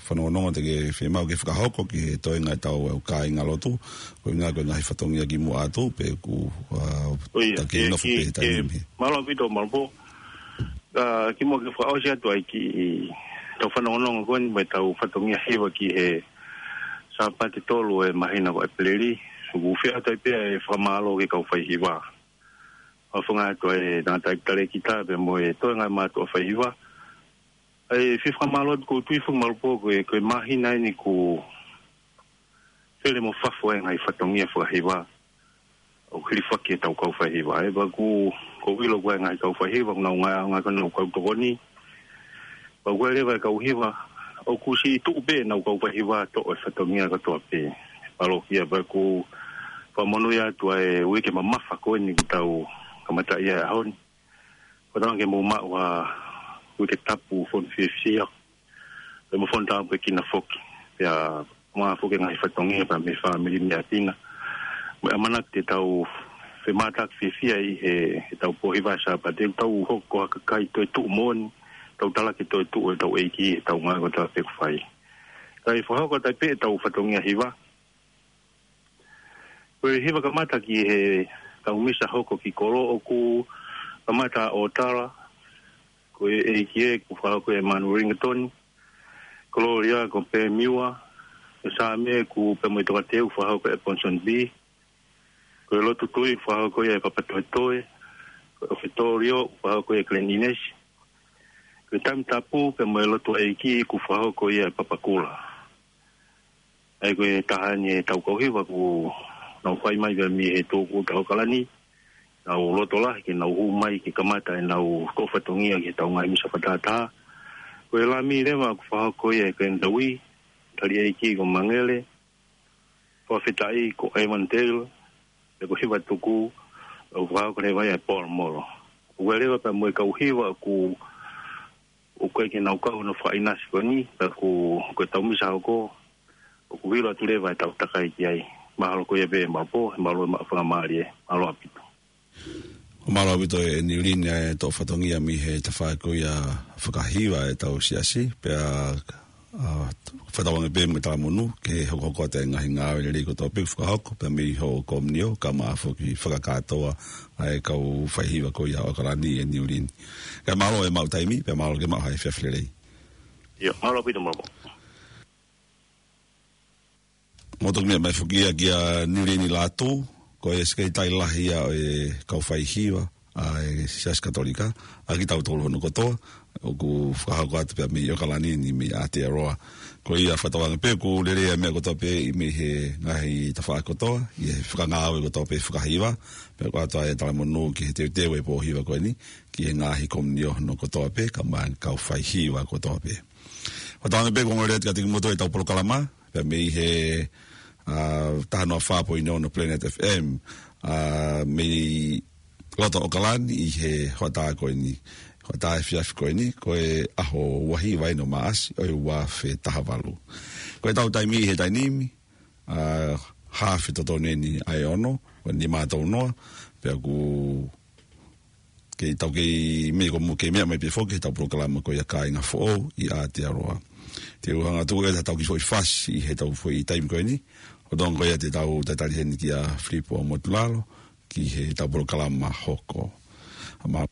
fanongonongo te ke fiemaʻu ke fakahoko ki he toenga ʻetau, ʻa, kāingalotu, ko e ʻuhinga ko e ngaahi fatongia kimuʻa atu, pe ʻoku, ʻa, ko ia, tau kei ke, nofo ke, pē he taimi ke, ni. Mālō ʻaupito Malopō. ʻA, kimuʻa ke fakaʻosi atu ai ki heʻetau fanongonongo ko eni mo ʻetau fatongia hiva ki he Sāpate tolu ʻo e māhina ko ʻEpeleli, ʻoku ou fie ʻoatu ai pē ʻa e fakamālō ki he kau fai hiva. ʻOfa atu ʻa e tangataʻeiki talēkita pea mo e toenga e mātuʻa fai hiva. ʻA e fie fakamālō atu ʻoku ou tui foki Malopō ko e, ko e māhina eni ʻoku Fele mo fafo e ngaahi fatongia fakahiva ʻoku hilifaki ʻe heʻetau kau faihiva. ʻE pea ʻoku, ʻoku ou ʻilo ko e ngaahi kau faihiva ʻoku nau ngāueʻaki ʻenau kau tokoni. Pea ʻoku ʻi ai leva e kau hiva ʻoku siʻi tuʻu pē ʻenau kau faihiva ʻo toʻo e fatongia kotoa pē. Mālō kia, pea ʻoku fakamonūʻia atu ʻa e uike mamafa ko eni kuo tau kamata ʻi he ʻaho ni. Ko e tala ke mou maʻu ha uike tapu fonu fiefia, pea mo fonu tāpuekina foki. Pea mo e foki e ngaahi fatongia pea mei he fāmili mei ʻapi na. Mo e ʻamanaki te tau femātaaki fiefia ʻi he, heʻetau pō hiva Sāpate, tau hoko ko ha kakai toetuʻu moʻoni, tau talaki e toetuʻu ʻetau ʻEiki ʻi heʻetau ngāue kotoa pē ʻoku fai. Kae fakahoko atu ai pē ʻetau fatongia hiva. Ko e hiva kamata ki he tau misa hoko ki kolo, ʻoku kamata ʻa ʻOtala, ko e ʻEiki ē, kuo fakahoko ʻe Manu Ringatoni. Kololia ko Pemiua, ko Sāme kuo pea mo e Tokateu, fakahoko ʻe Ponson B. Ko e Lotu Tui, fakahoko ia ʻe Papatoetoe. Ko e ʻOfetolio, fakahoko ʻe Glen Innes. Ko e Taimi Tapu pea mo e Lotu ʻa e ʻEiki, kuo fakahoko ia ʻe Papakula. ʻA ia ko e taha eni ʻetau kau hiva kuo nau fai mai pea mei he tōkua ʻa ʻAokalani. Nau loto lahi ke nau hū mai ke kamata ʻenau toʻo fatongia ki heʻetau ngaahi misa fakatātā. Ko e Lami leva kuo fakahoko ia ʻe Glenn Taui, tali ʻEiki ko Mangele, fakafetaʻi ko Evan Taylor, pea ko e hiva tuku, ʻoku fakahoko leva ia ʻe Paul Molo. ʻOku ʻi ai leva pea mo e kau hiva ʻoku ʻoku ʻikai ke nau kau ʻi hono fakaʻinasi ko eni, pea ko, ko ʻetau misa hoko, ʻoku ʻilo atu leva ʻetau takai ki ai. Mahalo ko ia pē maʻu pō, he mālō e maʻu fakamālie, mālō ʻaupito. Mālō ʻaupito ʻe Niulini ʻa e toʻo fatongia mei he tafaʻaki ko ia fakahiva ʻetau siasi, pea, ʻa, fakatauange pē mo e talamonū, ke hokohoko atu e ngaahi ngāue lelei kotoa pē ʻoku fakahoko, pea mei hoʻo komiunio, kae ʻumaʻā foki fakakātoa ʻa e kau faihiva ko ia ʻo ʻAokalani ʻe Niulini. Kae mālō e maʻu taimi, pea mālō ke maʻu ha efiafi lelei. ʻIo, mālō ʻaupito, mālō. Mou toki meʻa mai foki ia kia Niulini Lātū, ko e Sekelitali Lahi ia ʻo e kau faihiva ʻa e Siasi Katolika, ʻa kitautolu hono kotoa, ʻoku fakahoko atu pea mei ʻAokalani ni mei Aotearoa. Ko ia fakatauange pē ʻoku lelei ʻa e meʻa kotoa pē ʻi mei he ngaahi tafaʻaki kotoa, ʻi he fakangāue kotoa pē fakahiva, pea ko e ʻoatu ʻa e talamonū ki he teuteu e pō hiva ko eni, ki he ngaahi komiunio hono kotoa pē, kae ʻumaʻā e kau faihiva kotoa pē. Fakatauange pē ʻoku ongoongolelei atu kiate kimoutolu ʻetau polokalama, pea mei he, ʻa, taha noa fā poini ono Planet F M, ʻa, mei loto ʻAokalani ʻi he hoʻatā ko eni, hoʻatā efiafi ko eni, ko e ʻaho ua hiva eni ʻo Maʻasi, ʻo e ua afe taha valu. Ko ʻetau taimi he taimi ni, ʻa, haafe totonu eni ʻa e ono, ʻo e nima tolu noa, pea ʻoku kei tau kei meʻa ko mo kei meʻa mai pē foki heʻetau polokalama ko ia Kāinga Foʻou ʻi Aotearoa. Te u hanga atu ʻe tau kiʻi foʻi fasi ʻi heʻetau foʻi taimi ko eni. ʻO tō ko ia te tau tatali heni kia Filipo Motulalo, ki heʻetau polokalama hoko. Mālō.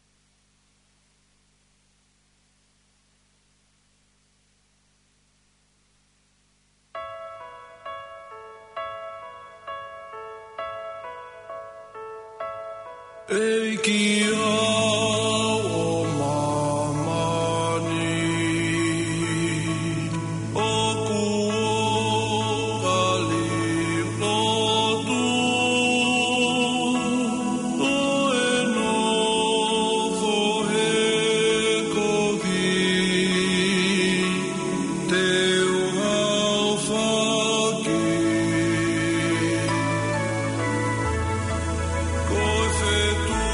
ʻEiki ʻo māmani, ʻoku ou kole lotu, ʻo e nofo he kovi, te u haofaki. Ko e fetuʻu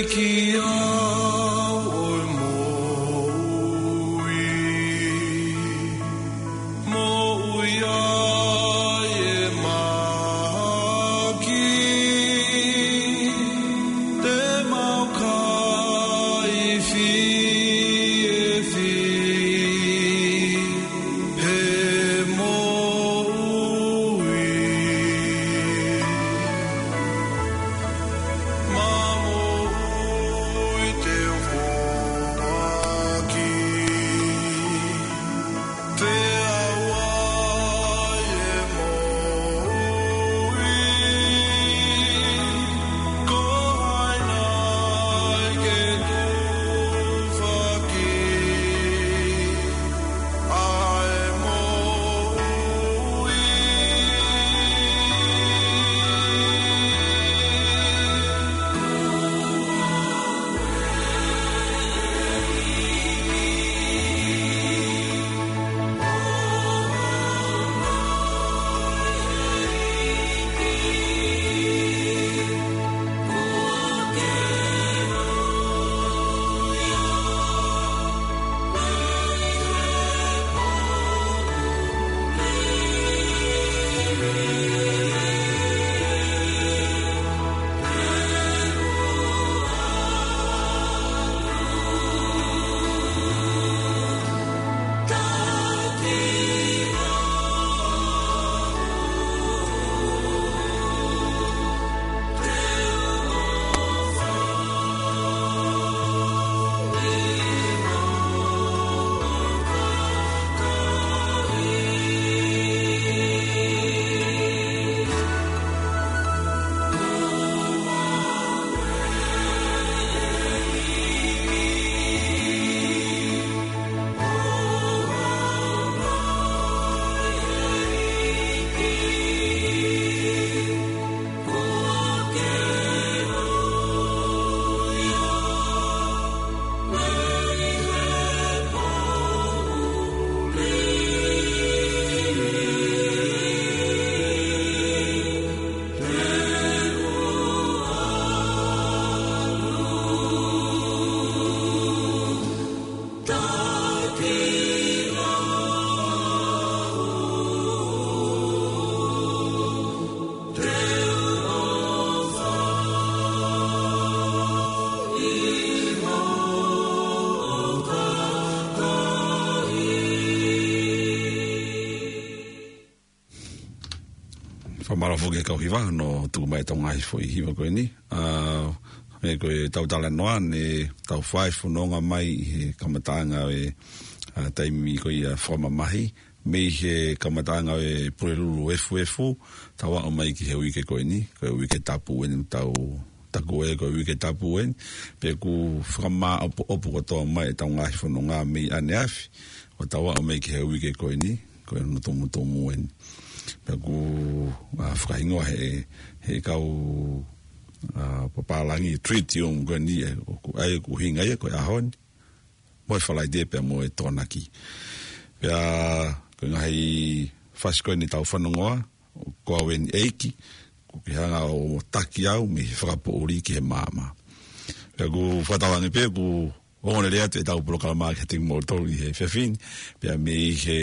Ki au ʻo e moʻui, moʻui ai e mahaki, te mau kai fiefia he moʻui. Mamoʻui te u foaki. Te au ai e moʻui. Ko hai nai ke tufaki ʻa e moʻui. Fakamālō foki ki he kau hiva, ʻo tuku mai ʻetau ngaahi foʻi hiva ko eni. ʻA, ʻa ia ko ʻetau talanoa, ne tau fai fononga mai ʻi he kamataʻanga ʻo e, ʻa, taimi ko ia fakamamahi, mei he kamataʻanga ʻo e Pulelulu Efuefu, tau aʻu mai ki he uike ko eni, ko e uike tapu eni, tau taku ē ko e uike tapu eni, pea ʻoku fakamāʻopoʻopo kotoa mai ʻetau ngaahi fononga mei ʻaneafi, ʻo tau aʻu mai ki he uike ko eni, ko e ono tumutumu eni. Pea ʻoku, ʻa, fakahingoa he, he kau, ʻa, papālangi tritium ko eni, ē, ʻoku ʻai ʻoku hinga ia ko e ʻaho ni, mo e Falaite pea mo e Tokonaki. Pea ko e ngaahi fasi ko eni tau fanongoa, ko au eni ʻEiki, ʻoku ke hanga ʻo taki au mei he fakapoʻuli ki he maama. Pea ʻoku fakatauange pē ʻoku ongoongolelei atu ʻetau polokalama kiate kimoutolu ʻi he efiafi ni, pea mei he,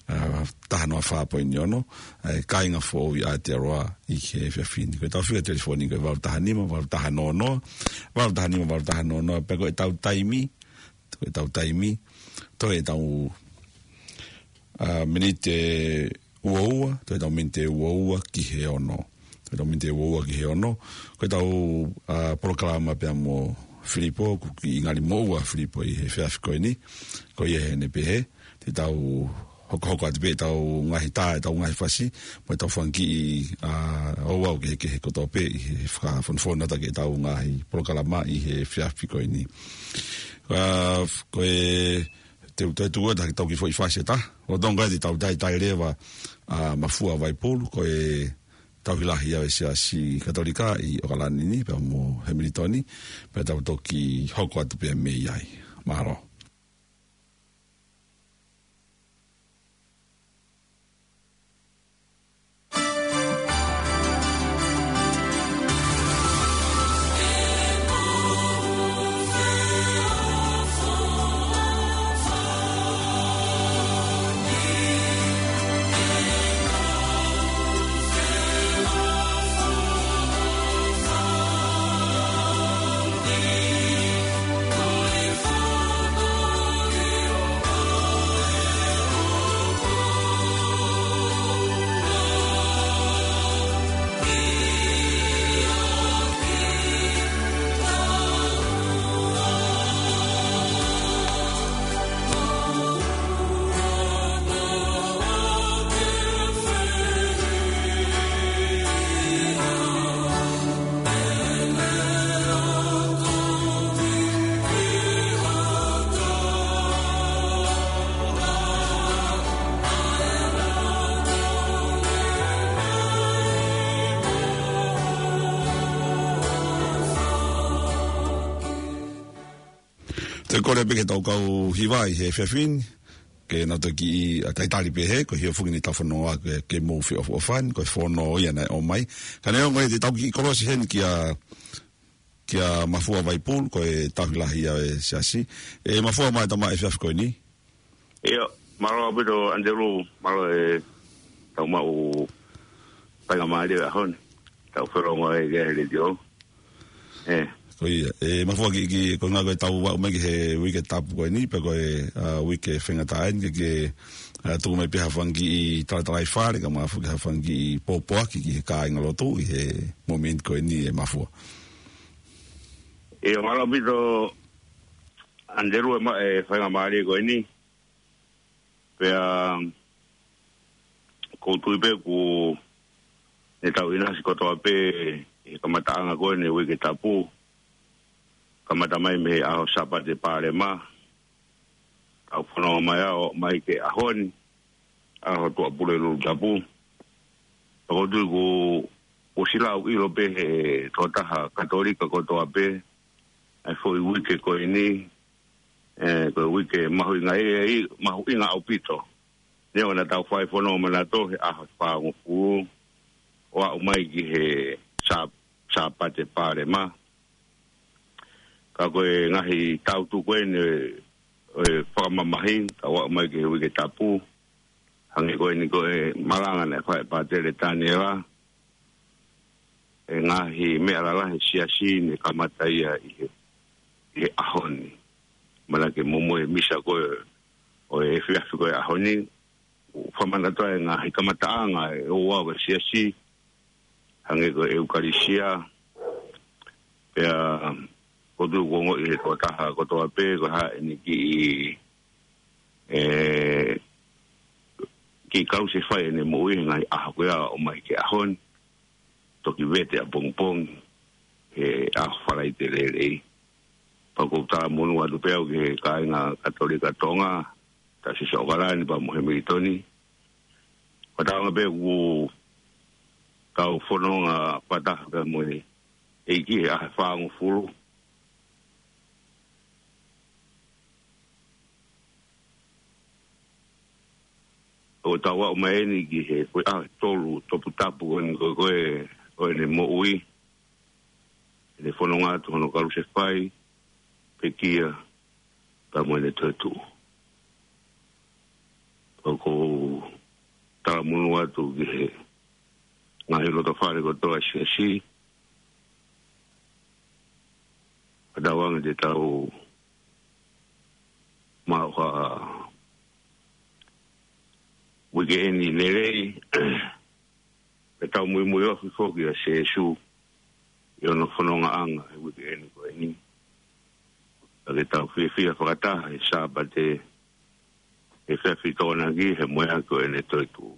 ʻa, taha noa fā poini ono, ʻa e kāinga foʻou ʻi Aotearoa ʻi he efiafi ni. Ko ʻetau fika telefoni ko e valu taha nima, valu taha noa noa, valu taha nima, valu taha noa noa, pea ko ʻetau taimi, ko ʻetau taimi, toe ʻetau, ʻa, miniti ʻe ua ua, toe ʻetau miniti ʻe ua ua ki he ono. Toe ʻetau miniti ʻe ua ua ki he ono. Ko ʻetau, ʻa, polokalama pea mo Filipo, ʻoku kiʻi ngali moʻua Filipo ʻi he efiafi ko eni. Ko ia ʻene pehē, te tau hokohoko atu pē ʻetau ngaahi tā, ʻetau ngaahi fasi, mo ʻetau fanga kiʻi, ʻa, ouau kehekehe kotoa pē ʻi he fakafonufonuʻaki ʻetau ngaahi polokalama ʻi he efiafi ko eni. ʻA, ko e, te u toe tuku atu ha kiʻi tau kiʻi foʻi fasi ʻe taha. ʻO tonga te tau taitai leva, ʻa, Mafua Vaipulu, ko e tauhi lahi ʻa e Siasi Katolika ʻi ʻOkalani ni, pea mo Hemilitoni, pea tau toki hoko atu pē mei ai. Mālō. Ko e pē ke tau kau hiva ʻi he efiafi ni, ke nau toki ʻi a taitali pē he, ko e hia fungi ni tau fanongo ke, ke mou feʻofoʻofani, ko e fono ia naʻe ʻomai. Ka neongo ia te tau kiʻi kolosi heni kia, kia Mafua Vaipulu, ko e tauhi lahi ia e siasi. ʻE Mafua, mālō e tama efiafi ko eni. ʻIo, mālō ʻaupito ʻAnitelū, mālō e tau maʻu faingamālie ʻaho ni. Tau felongoaki he letiō. ʻE. Ko ia, ʻe Mafua ki, ki, ko e ngā ko e tau aʻu mai ki he uike tapu ko eni, pe ko e, a, uike faingataʻa eni, ke, ke, a, tuku mai pē ha fanga kiʻi talatalaifale, kae ʻumaʻā foki ha fanga kiʻi pōpoaki ki he kāingalotu ʻi he momeniti ko eni ʻe Mafua. ʻIo, mālō ʻaupito ʻAnitelū e maʻu e faingamālie ko eni. Pea, ʻoku ou tui pē ʻoku ne tau ʻinasi kotoa pē he kamataʻanga ko eni e uike tapu. Kamata mai mei he ʻaho Sāpate Palema. Tau fanongo mai ʻo aʻu mai ki he ʻaho ni, ʻaho Tuʻapulelulu Tapu. ʻOku ou tui ʻoku, ʻoku siʻi lau ʻilo pē he tokotaha Katolika kotoa pē ʻa e foʻi uike ko eni, ʻe, ko e uike mahuʻinga ʻi, ʻi, mahuʻinga ʻaupito. Neongo naʻa tau fai fono manato he ʻaho fāngofulu ʻo aʻu mai ki he Sā-, Sāpate Palema. Ka ko e ngaahi tautu ko eni ʻo e fakamamahi, tau aʻu mai ki he uike tapu. Hangē ko eni ko e malanga naʻe fai ʻe Pātele Taniela, e ngaahi meʻa lalahi he siasi ne kamata ia ʻi he, ʻi he ʻaho ni. Manatuʻi ke momoʻi e misa ko ē ʻo e efiafi ko ē ʻaho ni, ʻo fakamanatu ai e ngaahi kamataʻanga ʻe ua ʻo e siasi, hangē ko e ʻEukalisia, pea ʻoku ou tui ʻoku ongoʻi ʻe he tokotaha kotoa pē ko e hā ʻene kiʻi, ʻe, kiʻi kalusefai ʻene moʻui he ngaahi ʻaho ko ia ʻo aʻu mai ki he ʻaho ni, toki vete ʻapongipongi he ʻaho Falaite Lelei. Pea ʻoku ou talamonū atu pē au ki he kāinga Katolika Tonga, Taiosisi ʻOkalani pea mo Hemilitoni. Fakatauange pē ʻoku tau fononga fakataha pea mo e ʻEiki he ʻaho fāngofulu. ʻO tau aʻu mai eni ki he foʻi ʻaho ʻe tolu toputapu ko eni ko ē ʻo ʻene moʻui, ʻene fononga atu hono kalusefai, pekia, pea mo ʻene toetuʻu. ʻOku ou talamonū atu ki he ngaahi lotofale kotoa ʻo e siasi, fakatauange te tau maʻu ha uikeʻeni lelei, pea tau muimui ofi foki ʻia Sīsū ʻi hono fonongaʻanga he uikeʻeni ko eni. Pea ke tau fiefia fakataha he Sāpate, he efiafi Tokonaki, he moheʻaki ʻo ʻene toetuʻu.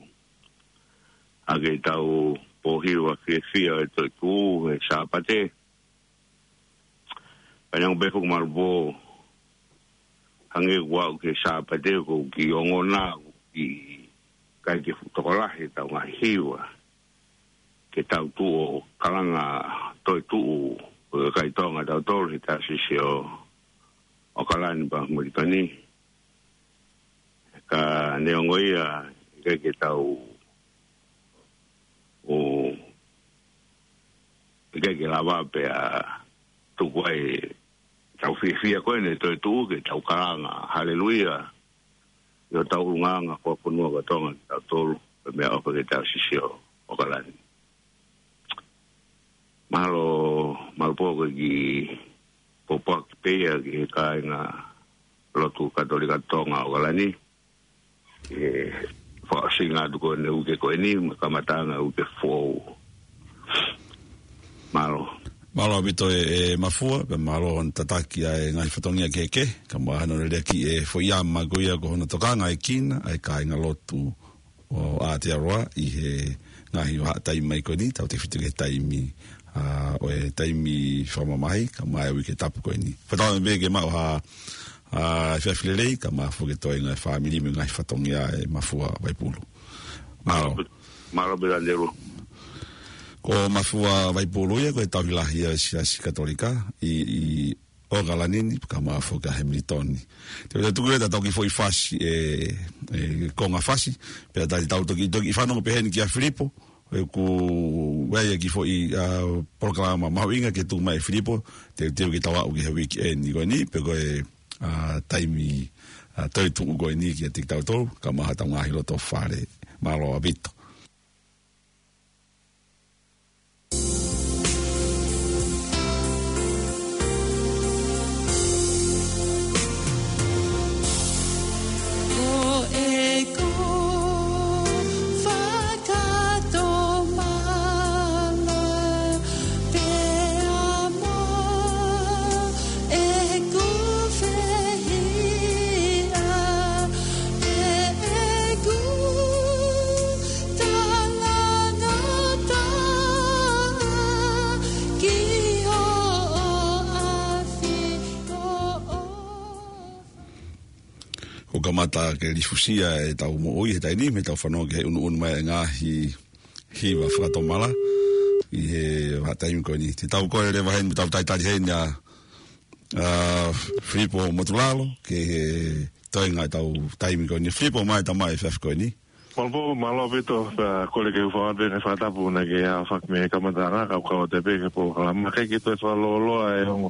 ʻA ke tau pōhiva fiefia ʻo e toetuʻu he Sāpate, pea neongo pē foki Malupō, hangē kuo aʻu ki he Sāpate ʻoku ou kiʻi ongona, ʻoku ou kiʻi ʻikai ke fuʻu tokolahi ʻetau ngaahi hiva, ke tau tuʻu ʻo kalanga toetuʻu ʻo e kakai Tonga ʻatautolu he Taiosisi ʻo ʻOkalani pea mo Hemilitoni. Ka neongo ia, ʻikai ke tau, ʻo, ʻikai ke lava pē ʻa tuku ai ʻetau fiefia ko eni ʻo e toetuʻu ke tau kalanga Haleluia ʻi hotau ʻulungaanga fakafonua ko Tonga kitautolu, pea mo e ʻofa ki he Taiosisi ʻo ʻOkalani. Mālō, Malupō, ko e kiʻi pōpoaki pē ia ki he kāinga lotu Katolika Tonga ʻOkalani, ʻi he fakaʻosinga atu ko eni e uike ko eni, mo e kamataʻanga e uike foʻou. Mālō. Mālō ʻaupito ʻe, ʻe Mafua, pea mālō hono tataki ʻa e ngaahi fatongia kehekehe, kae ʻumaʻā hono lelei ʻa e foʻi ʻama ko ia ko hono tokanga ʻa e kina, ʻa e kāinga lotu ʻo Aotearoa ʻi he ngaahi vahaʻa taimi mai ko eni, tautefito ki he taimi, a, ʻo e taimi fakamamahi, kae ʻumaʻā e uike tapu ko eni. Fakatauange pē ke maʻu ha, a, efiafi lelei, kae ʻumaʻā foki e toenga e fāmili mo e ngaahi fatongia ʻe Mafua Vaipulu. Mālō. Mālō pē ʻAnitelū. Ko Mafua Vaipulu ia, ko e tauhi lahi ia ʻo e Siasi Katolika ʻi, ʻi ʻOkalani ni, kae ʻumaʻā foki ʻa Hamilton. Te u tuku ʻe tautolu ki he foʻi fasi, ʻe, ʻe konga fasi, pea te tau toki, toki fanongo pē heni kia Filipo, ʻoku ʻi ai e kiʻi foʻi, ʻa, polokalama mahuʻinga ke tuku mai ʻe Filipo, te, te u ke tau aʻu ki he weekend ko eni, pe ko e, ʻa, taimi, ʻa, toetuʻu ko eni kia kitautolu, kae ʻumaʻā hotau ngaahi loto fale, mālō ʻaupito. Ko ʻeku fakatomala pea mo ʻeku fehiʻa ʻeku talangataʻa ki hoʻo ʻafi ko ʻofa. ʻOku kamata ke lifusia ʻetau moʻui he taimi ni, mei heʻetau fanongo ki he ʻunuʻunu mai e ngaahi hiva fakatomala ʻi he vahaʻa taimi ko eni. Te tau kole leva heni, tau talitali heni ʻa, ʻa, Filipo Motulalo, ki he toenga ʻetau taimi ko eni. Filipo, mai tama e efiafi ko eni. Mālō, mālō ʻaupito, pea kole ke u fakatapu naʻa ke ʻaofaki mei he kamataʻanga, kau kau atu pē ki he polokalama. Kae ʻikai ke toe fakalōloa e ongo,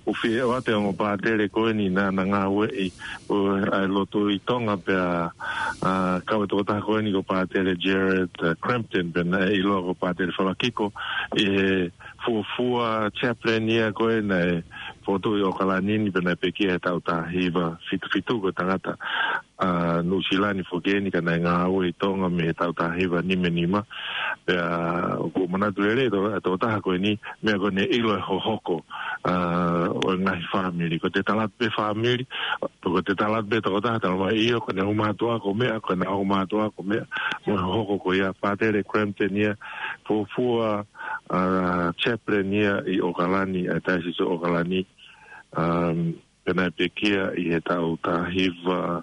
ʻoku fie ʻoatu e ongo pātele ko eni naʻa na ngāueʻi, ʻo, ʻa e lotu ʻi Tonga pea, ʻa, kau e tokotaha ko eni ko Pātele Jared, ʻa, Crampton, pea naʻe ʻiloa ko Pātele Falakiko, ʻi he fuofua chaplain ia ko ē naʻe fotu ʻi ʻOkalani ni pea naʻe pekia he taʻu taha hiva fitu fitu, ko e tangata ʻa Nuʻusila ni foki eni ka naʻe ngāue ʻi Tonga mei he taʻu taha hiva nima nima. Pea ʻoku ou manatu lelei ʻa e tokotaha ko eni, meʻa ko ʻene ʻilo e hohoko, ʻa, ʻo e ngaahi fāmili. Ko ʻete tala atu pē fāmili, ko ʻete tala atu pē tokotaha, talamai ʻio, ko ʻene ʻomai atu ko e meʻa, ko ʻene ʻomai atu ko e meʻa, mo e hohoko ko ia. Pātele Crampton ia, fuofua, ʻa, chaplain ia ʻi ʻOkalani, ʻa e Taisisi ʻo ʻOkalani, um, pea naʻe pekia ʻi he taʻu taha hiva,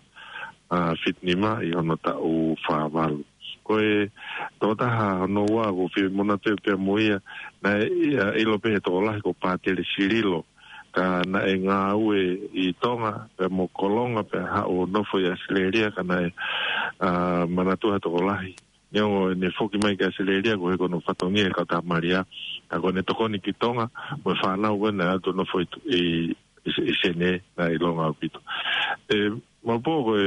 ʻa, fitu nima ʻi hono taʻu fā valu. Ko e tokotaha hono ua ʻoku ou fie manatu pē mo ia, naʻe, ʻa, ʻilo pē he tokolahi ko Pātele Sililo, ka naʻe ngāue ʻi Tonga, pea mo Kolonga, pea haʻu ʻo nofo ʻi ʻAositelēlia, ka naʻe, ʻa, manatuʻa he tokolahi. Neongo ʻene foki mai ki ʻAositelēlia, ko e hā hono fatongia he kautaha Malia, ka ko ʻene tokoni ki Tonga, mo e fānau ko ē naʻe ʻalu ʻo nofo ʻi, ʻi, ʻi, ʻi Senē, naʻe ʻilonga ʻaupito. ʻE, Maupō, ko e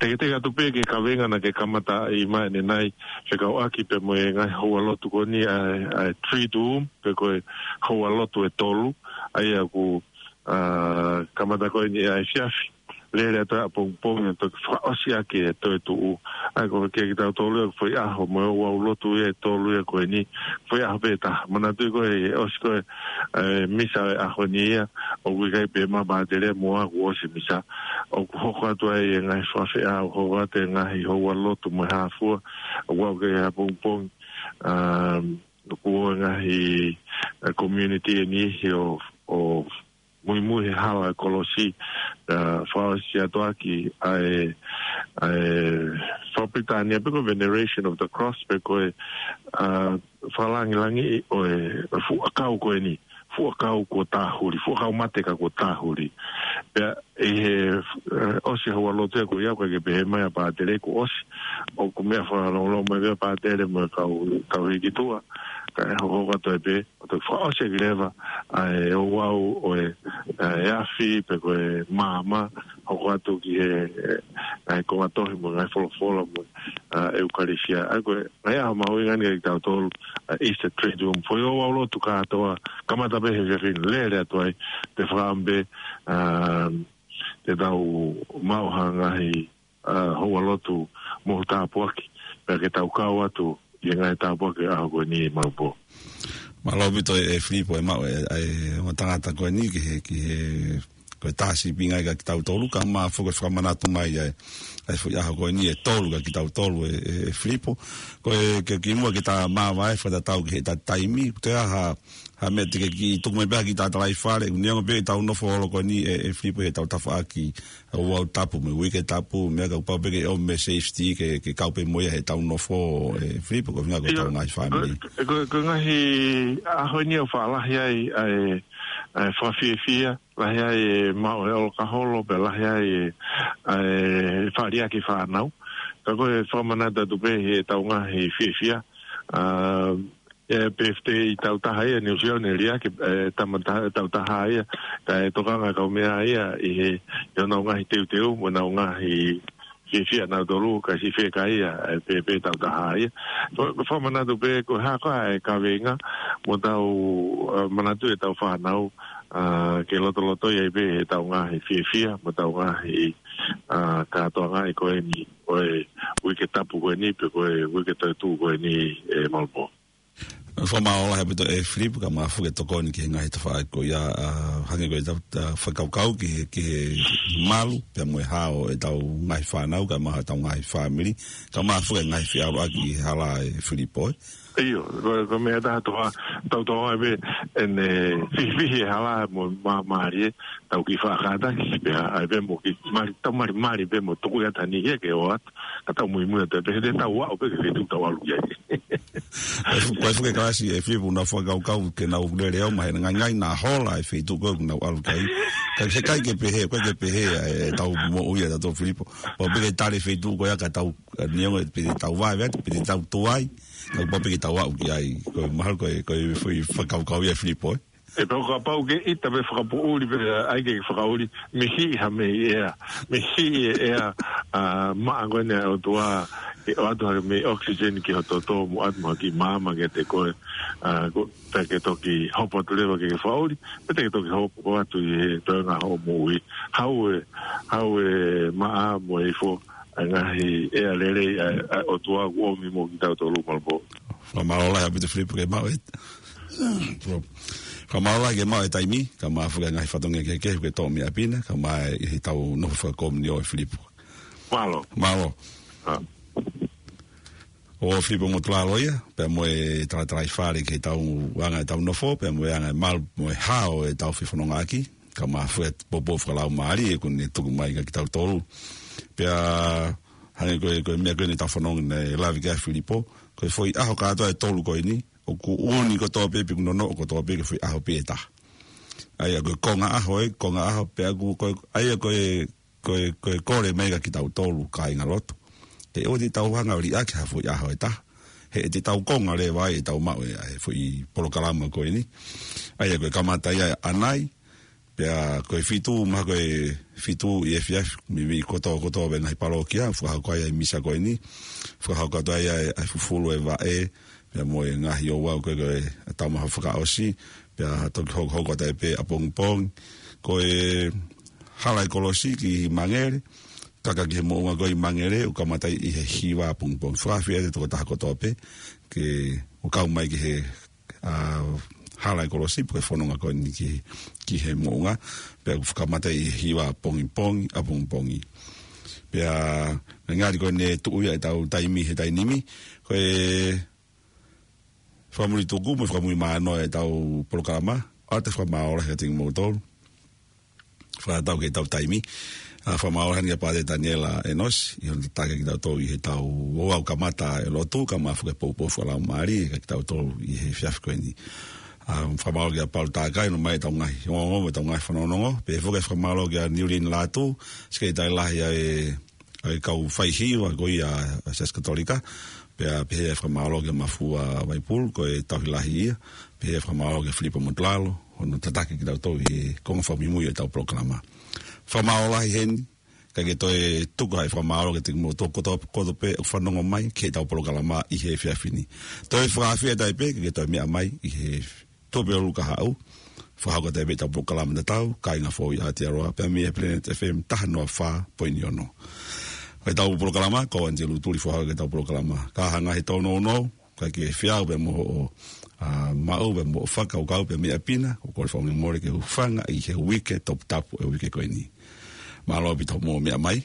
teketeke atu pē ki he kaveinga naʻa ke kamata ʻi mai ʻanenai, fekauʻaki pē mo e ngaahi houalotu ko eni ʻa e, ʻa e Triduum, pe ko e houalotu ʻe tolu, ʻa ia ʻoku, ʻa, kamata ko eni ʻa e efiafi. Lele atu ʻapongipongi ʻo toki fakaʻosi ʻaki e toetuʻu. ʻA ia ko e kia kitautolu ia ko e foʻi ʻaho mo e ouau lotu ia ʻe tolu ia ko eni, foʻi ʻaho pē ʻe taha. Manatuʻi ko e ʻosi ko e, ʻa e misa ʻo e ʻaho ni ia, ʻoku ʻikai pē ʻema pātele mo au kuo ʻosi misa. ʻOku hoko atu ai e ngaahi fakafeʻao, hoko atu e ngaahi houalotu mo e hā fua, ʻoku aʻu ki he ʻapongipongi, um, ʻoku ʻi ai e ngaahi, ʻa, community ʻe niʻihi ʻo, ʻo muimui he hala e kolosi, ʻa, fakaʻosi atu ʻaki ʻa e, ʻa e fakapilitānia pe ko e veneration of the cross pe ko e, ʻa, fakalāngilangiʻi ʻo e, ʻo e fuʻu ʻakau ko eni, fuʻu ʻakau kuo tāhuli, fuʻu ʻakau mate ka kuo tāhuli. Pea ʻi he, ʻe, ʻosi e houalotu ia ko ia, ʻoku ʻikai ke pehē mai ʻa pātele kuo ʻosi, ʻoku meʻa fakalongolongo mai pē ʻa pātele mo e kau, kau hiki tuʻa, kae hoko atu ai pē, ʻo toki fakaʻosi ʻaki leva ʻa e ouau ʻo e, ʻa e afi, pe ko e maama, hoko atu ki he, ʻa e konga tohi mo e ngaahi folofola mo e, ʻa, ʻeukalisia. ʻA ia ko e ngaahi ʻaho mahuʻinga eni kia kitautolu, ʻa, Easter Triduum. Foʻi ouau lotu kātoa, kamata pē he efiafi ni, lele atu ai, te u fakaʻamu pē, ʻa, te tau maʻu ha ngaahi, ʻa, houalotu mo e tāpuaki, pea ke tau kau atu ʻi he ngaahi tāpuaki ʻo e ʻaho ko eni, Maupō. Mālō ʻaupito ʻe, ʻe Filipo e maʻu e, e, ʻo e tangata ko eni ki he, ki he, ko e tā sīpinga ia kia kitautolu, kae ʻumaʻā foki e fakamanatu mai ʻa e, ʻa e foʻi ʻaho ko eni ʻe tolu kia kitautolu ʻe, ʻe, ʻe Filipo. Ko e, ke kimuʻa ke ta māvae fakatatau ki heʻeta taimi, ko e hā ha, ha meʻa te ke kiʻi tuku mai pē ha kiʻi tala ʻi fale, neongo pē ʻetau nofo holo ko eni ʻe, ʻe Filipo heʻetau tafaʻaki ʻa e ouau tapu mo e uike tapu, meʻa ka kuo pau pē ke ʻomi e safety ke, ke kau pē mo ia heʻetau nofo ʻe Filipo, ko e ʻuhinga ko ʻetau ngaahi fāmili. Ko, ko, ko e ngaahi ʻaho eni ʻoku faʻa lahi ai ʻa e, ʻa e fakafiefia, lahi ai e maʻu e ʻolokaholo, pea lahi ai e, ʻa e faʻa liʻaki fānau. Ka ko e fakamanatu atu pē heʻetau ngaahi fiefia, ʻa, e birthday ʻi tautaha ia, New Zealand ʻe liʻaki, e, tama ta-, tautaha ia, ka e tokanga kau meʻa ia, ʻi he, ʻi honau ngaahi teuteu, mo ʻenau ngaahi fiefia nautolu, ka si feka ia, e, pē, pē tautaha ia. Ko, ko fakamanatu pē, ko e hā koā e kaveinga, mo tau, e, manatu ʻetau fānau, ʻa, ke lotoloto ia pē heʻetau ngaahi fiefia, mo tau ngaahi, ʻa, kātoanga ʻi ko eni, ʻo e uike tapu ko eni, pe ko e uike toetuʻu ko eni, e Malapō. Fakamālō lahi ʻaupito e Filipo, kae ʻumaʻā foki e tokoni ki he ngaahi tafaʻaki ko ia, ʻa, hangē ko ʻetau, ʻa, fakakaukau ki he, ki he malu, pea mo e hao ʻetau ngaahi fānau, kae ʻumaʻā ʻetau ngaahi fāmili, kae ʻumaʻā foki e ngaahi feʻaluʻaki ʻi he hala e Filipo, ē. ʻIo, ko, ko e meʻa ʻe taha tō, tau tō ai pē, ʻene fihifihi e hala mo māmālie, tau kiʻi faʻa kātaki, pea, ʻai pē mo kiʻi mali, tau malimali pē mo tuku ia tani ia ke ʻoatu, ka tau muimui atu pē, he te tau aʻu pē ki he feituʻu tau ʻalu ki ai. Ko e fu-, ko e fuʻu kalasi e Filipo naʻa fakakaukau ke nau lele au mai, he naʻe ngangaina hola e feituʻu ko ē ʻoku nau ʻalu ki ai. Ka ʻikai ke pehē, ʻikai ke pehē ʻa ʻetau moʻui ʻa tautolu Filipo. Pau pē ke tali e feituʻu ko ia ka tau, ʻa, neongo pe te tau vaevae, pe te tau tuai, ka pau pē ke tau aʻu ki ai. Ko e mahalo ko e, ko e fuʻu fakakaukau ia Filipo, ē. ʻE pau kapau ke ʻita pē fakapoʻuli pē, ʻai ke fakaʻuli, mei he ʻea, mei he ʻea, mei he ʻea, ʻa, maʻa ko eni ʻa e ʻOtua, ke ʻoatu hake mei oxygen ki ho toto mo ʻoatu mo ha kiʻi maama kiate koe, ʻa, ko, pea ke toki hopo atu leva ke ke fakaʻuli, pea te ke toki hopo atu ʻi he toenga hoʻo moʻui. Haʻu e, haʻu e maʻa mo e ifo, ʻa e ngaahi ʻea lelei ʻa, ʻa e ʻOtua kuo ʻomi mo kitautolu Malapō. Fakamālō lahi ʻaupito Filipo ke maʻu e. Fakamālō lahi ke maʻu e taimi, kae ʻumaʻā foki e ngaahi fatongia kehekehe ke tō mei ʻapi na, kae ʻumaʻā ʻi heʻetau nofo fakakomiunitī ʻo e Filipo. Mālō. Mālō. ʻA. ʻO Filipo Motulalo ia, pea mo e talatalaifale ki heʻetau anga ʻetau nofo, pea mo e anga e malu, mo e hao ʻetau fefonongaʻaki, kae ʻumaʻā foki e poupou fakalaumālie ʻoku ne tuku mai kia kitautolu. Pea hangē ko e, ko e meʻa ko eni ʻetau fanongo naʻe lave ki ai Filipo, ko e foʻi ʻaho kātoa ʻe tolu ko eni, ʻoku ʻuuni kotoa pē pe ʻoku nonoʻo kotoa pē ki he foʻi ʻaho pē ʻe taha. ʻA ia ko e konga ʻaho ē, konga ʻaho pē ʻoku ko e, ʻa ia ko e, ko e, ko e kole mai kia kitautolu kāingalotu. Ke ʻoua te tau hanga ʻo liʻaki ha foʻi ʻaho ʻe taha. He te tau konga leva ai ʻetau maʻu e, ʻa e foʻi polokalama ko eni. ʻA ia ko e kamata ia ʻanai, pea ko e fitu, mahalo ko e fitu ʻi he efiafi, meimei kotoa, kotoa pē ngaahi palōkia, fakahoko ai ʻa e misa ko eni, fakahoko atu ai ʻa e, ʻa e fufulu e vaʻe, pea mo e ngaahi ouau ko ē, ko e taumaha fakaʻosi, pea toki hokohoko atu ai pē ʻapongipongi, ko e hala e kolosi ki Mangere, kaka ki he moʻunga ko ē ʻi Mangere, ʻoku kamata ʻi he hiva ʻapongipongi. Fakaafeʻi atu e tokotaha kotoa pē, ke ō kau mai ki he ʻa, hala e kolosi, pe ko e fononga ko eni ki, ki he moʻunga, pea ʻoku kamata ʻi he hiva ʻapongipongi, ʻapongipongi. Pea, ngaahi ko eni ʻe tuʻu ia ʻetau taimi he taimi ni, ko e fakamuli tuku mo e fakamuli mano ʻetau polokalama, ʻoatu e fakamālō lahi kiate kimoutolu. Fakatau ki heʻetau taimi. ʻA, fakamālō lahi eni kia Pātele Taniela ʻEnosi, ʻi hono tataki kitautolu ʻi heʻetau ouau kamata e lotu, kae ʻumaʻā foki e poupou fakalaumālie kia kitautolu ʻi he efiafi ko eni. ʻA, fakamālō kia Palu Takai, ʻomai ʻetau ngaahi ongoongo, ʻetau ngaahi fanongonongo, pea foki fakamālō kia Niulini Lātū, Sekelitali Lahi ʻa e ʻa e kau faihiva ko ia ʻa e Siasi Katolika, pea pehē fakamālō kia Mafua Vaipulu, ko e tauhi lahi ia, pehē fakamālō kia Filipo Motulalo, hono tataki kitautolu ʻi he konga fakamuimui ʻetau polokalama. Fakamālō lahi heni, kae ke toe tuku ai e fakamālō kiate kimoutolu kotoa, kotoa pē ʻoku fanongo mai ki heʻetau polokalama ʻi he efiafi ni. Toe fakaafeʻi atu ai pē, ke ke toe meʻa mai ʻi he Tuʻapulelulu kahaʻu, fakahoko atu ai pē ʻetau polokalama tatau, Kāinga Foʻou ʻi Aotearoa, pea mei he Planet F M taha noa fā poini ono. Ko ʻetau polokalama, ko Angelou Tuli fakahoko ʻetau polokalama. Ka hanga he tōnounou, ka ke feau pē mo hoʻo, ʻa, maʻu pē mo hoʻo fakakaukau pē mei ʻapi na, ʻoku ou kole fakamolemole ke u hūfanga ʻi he uike toputapu e uike ko eni. Mālō ʻaupito hoʻomou meʻa mai,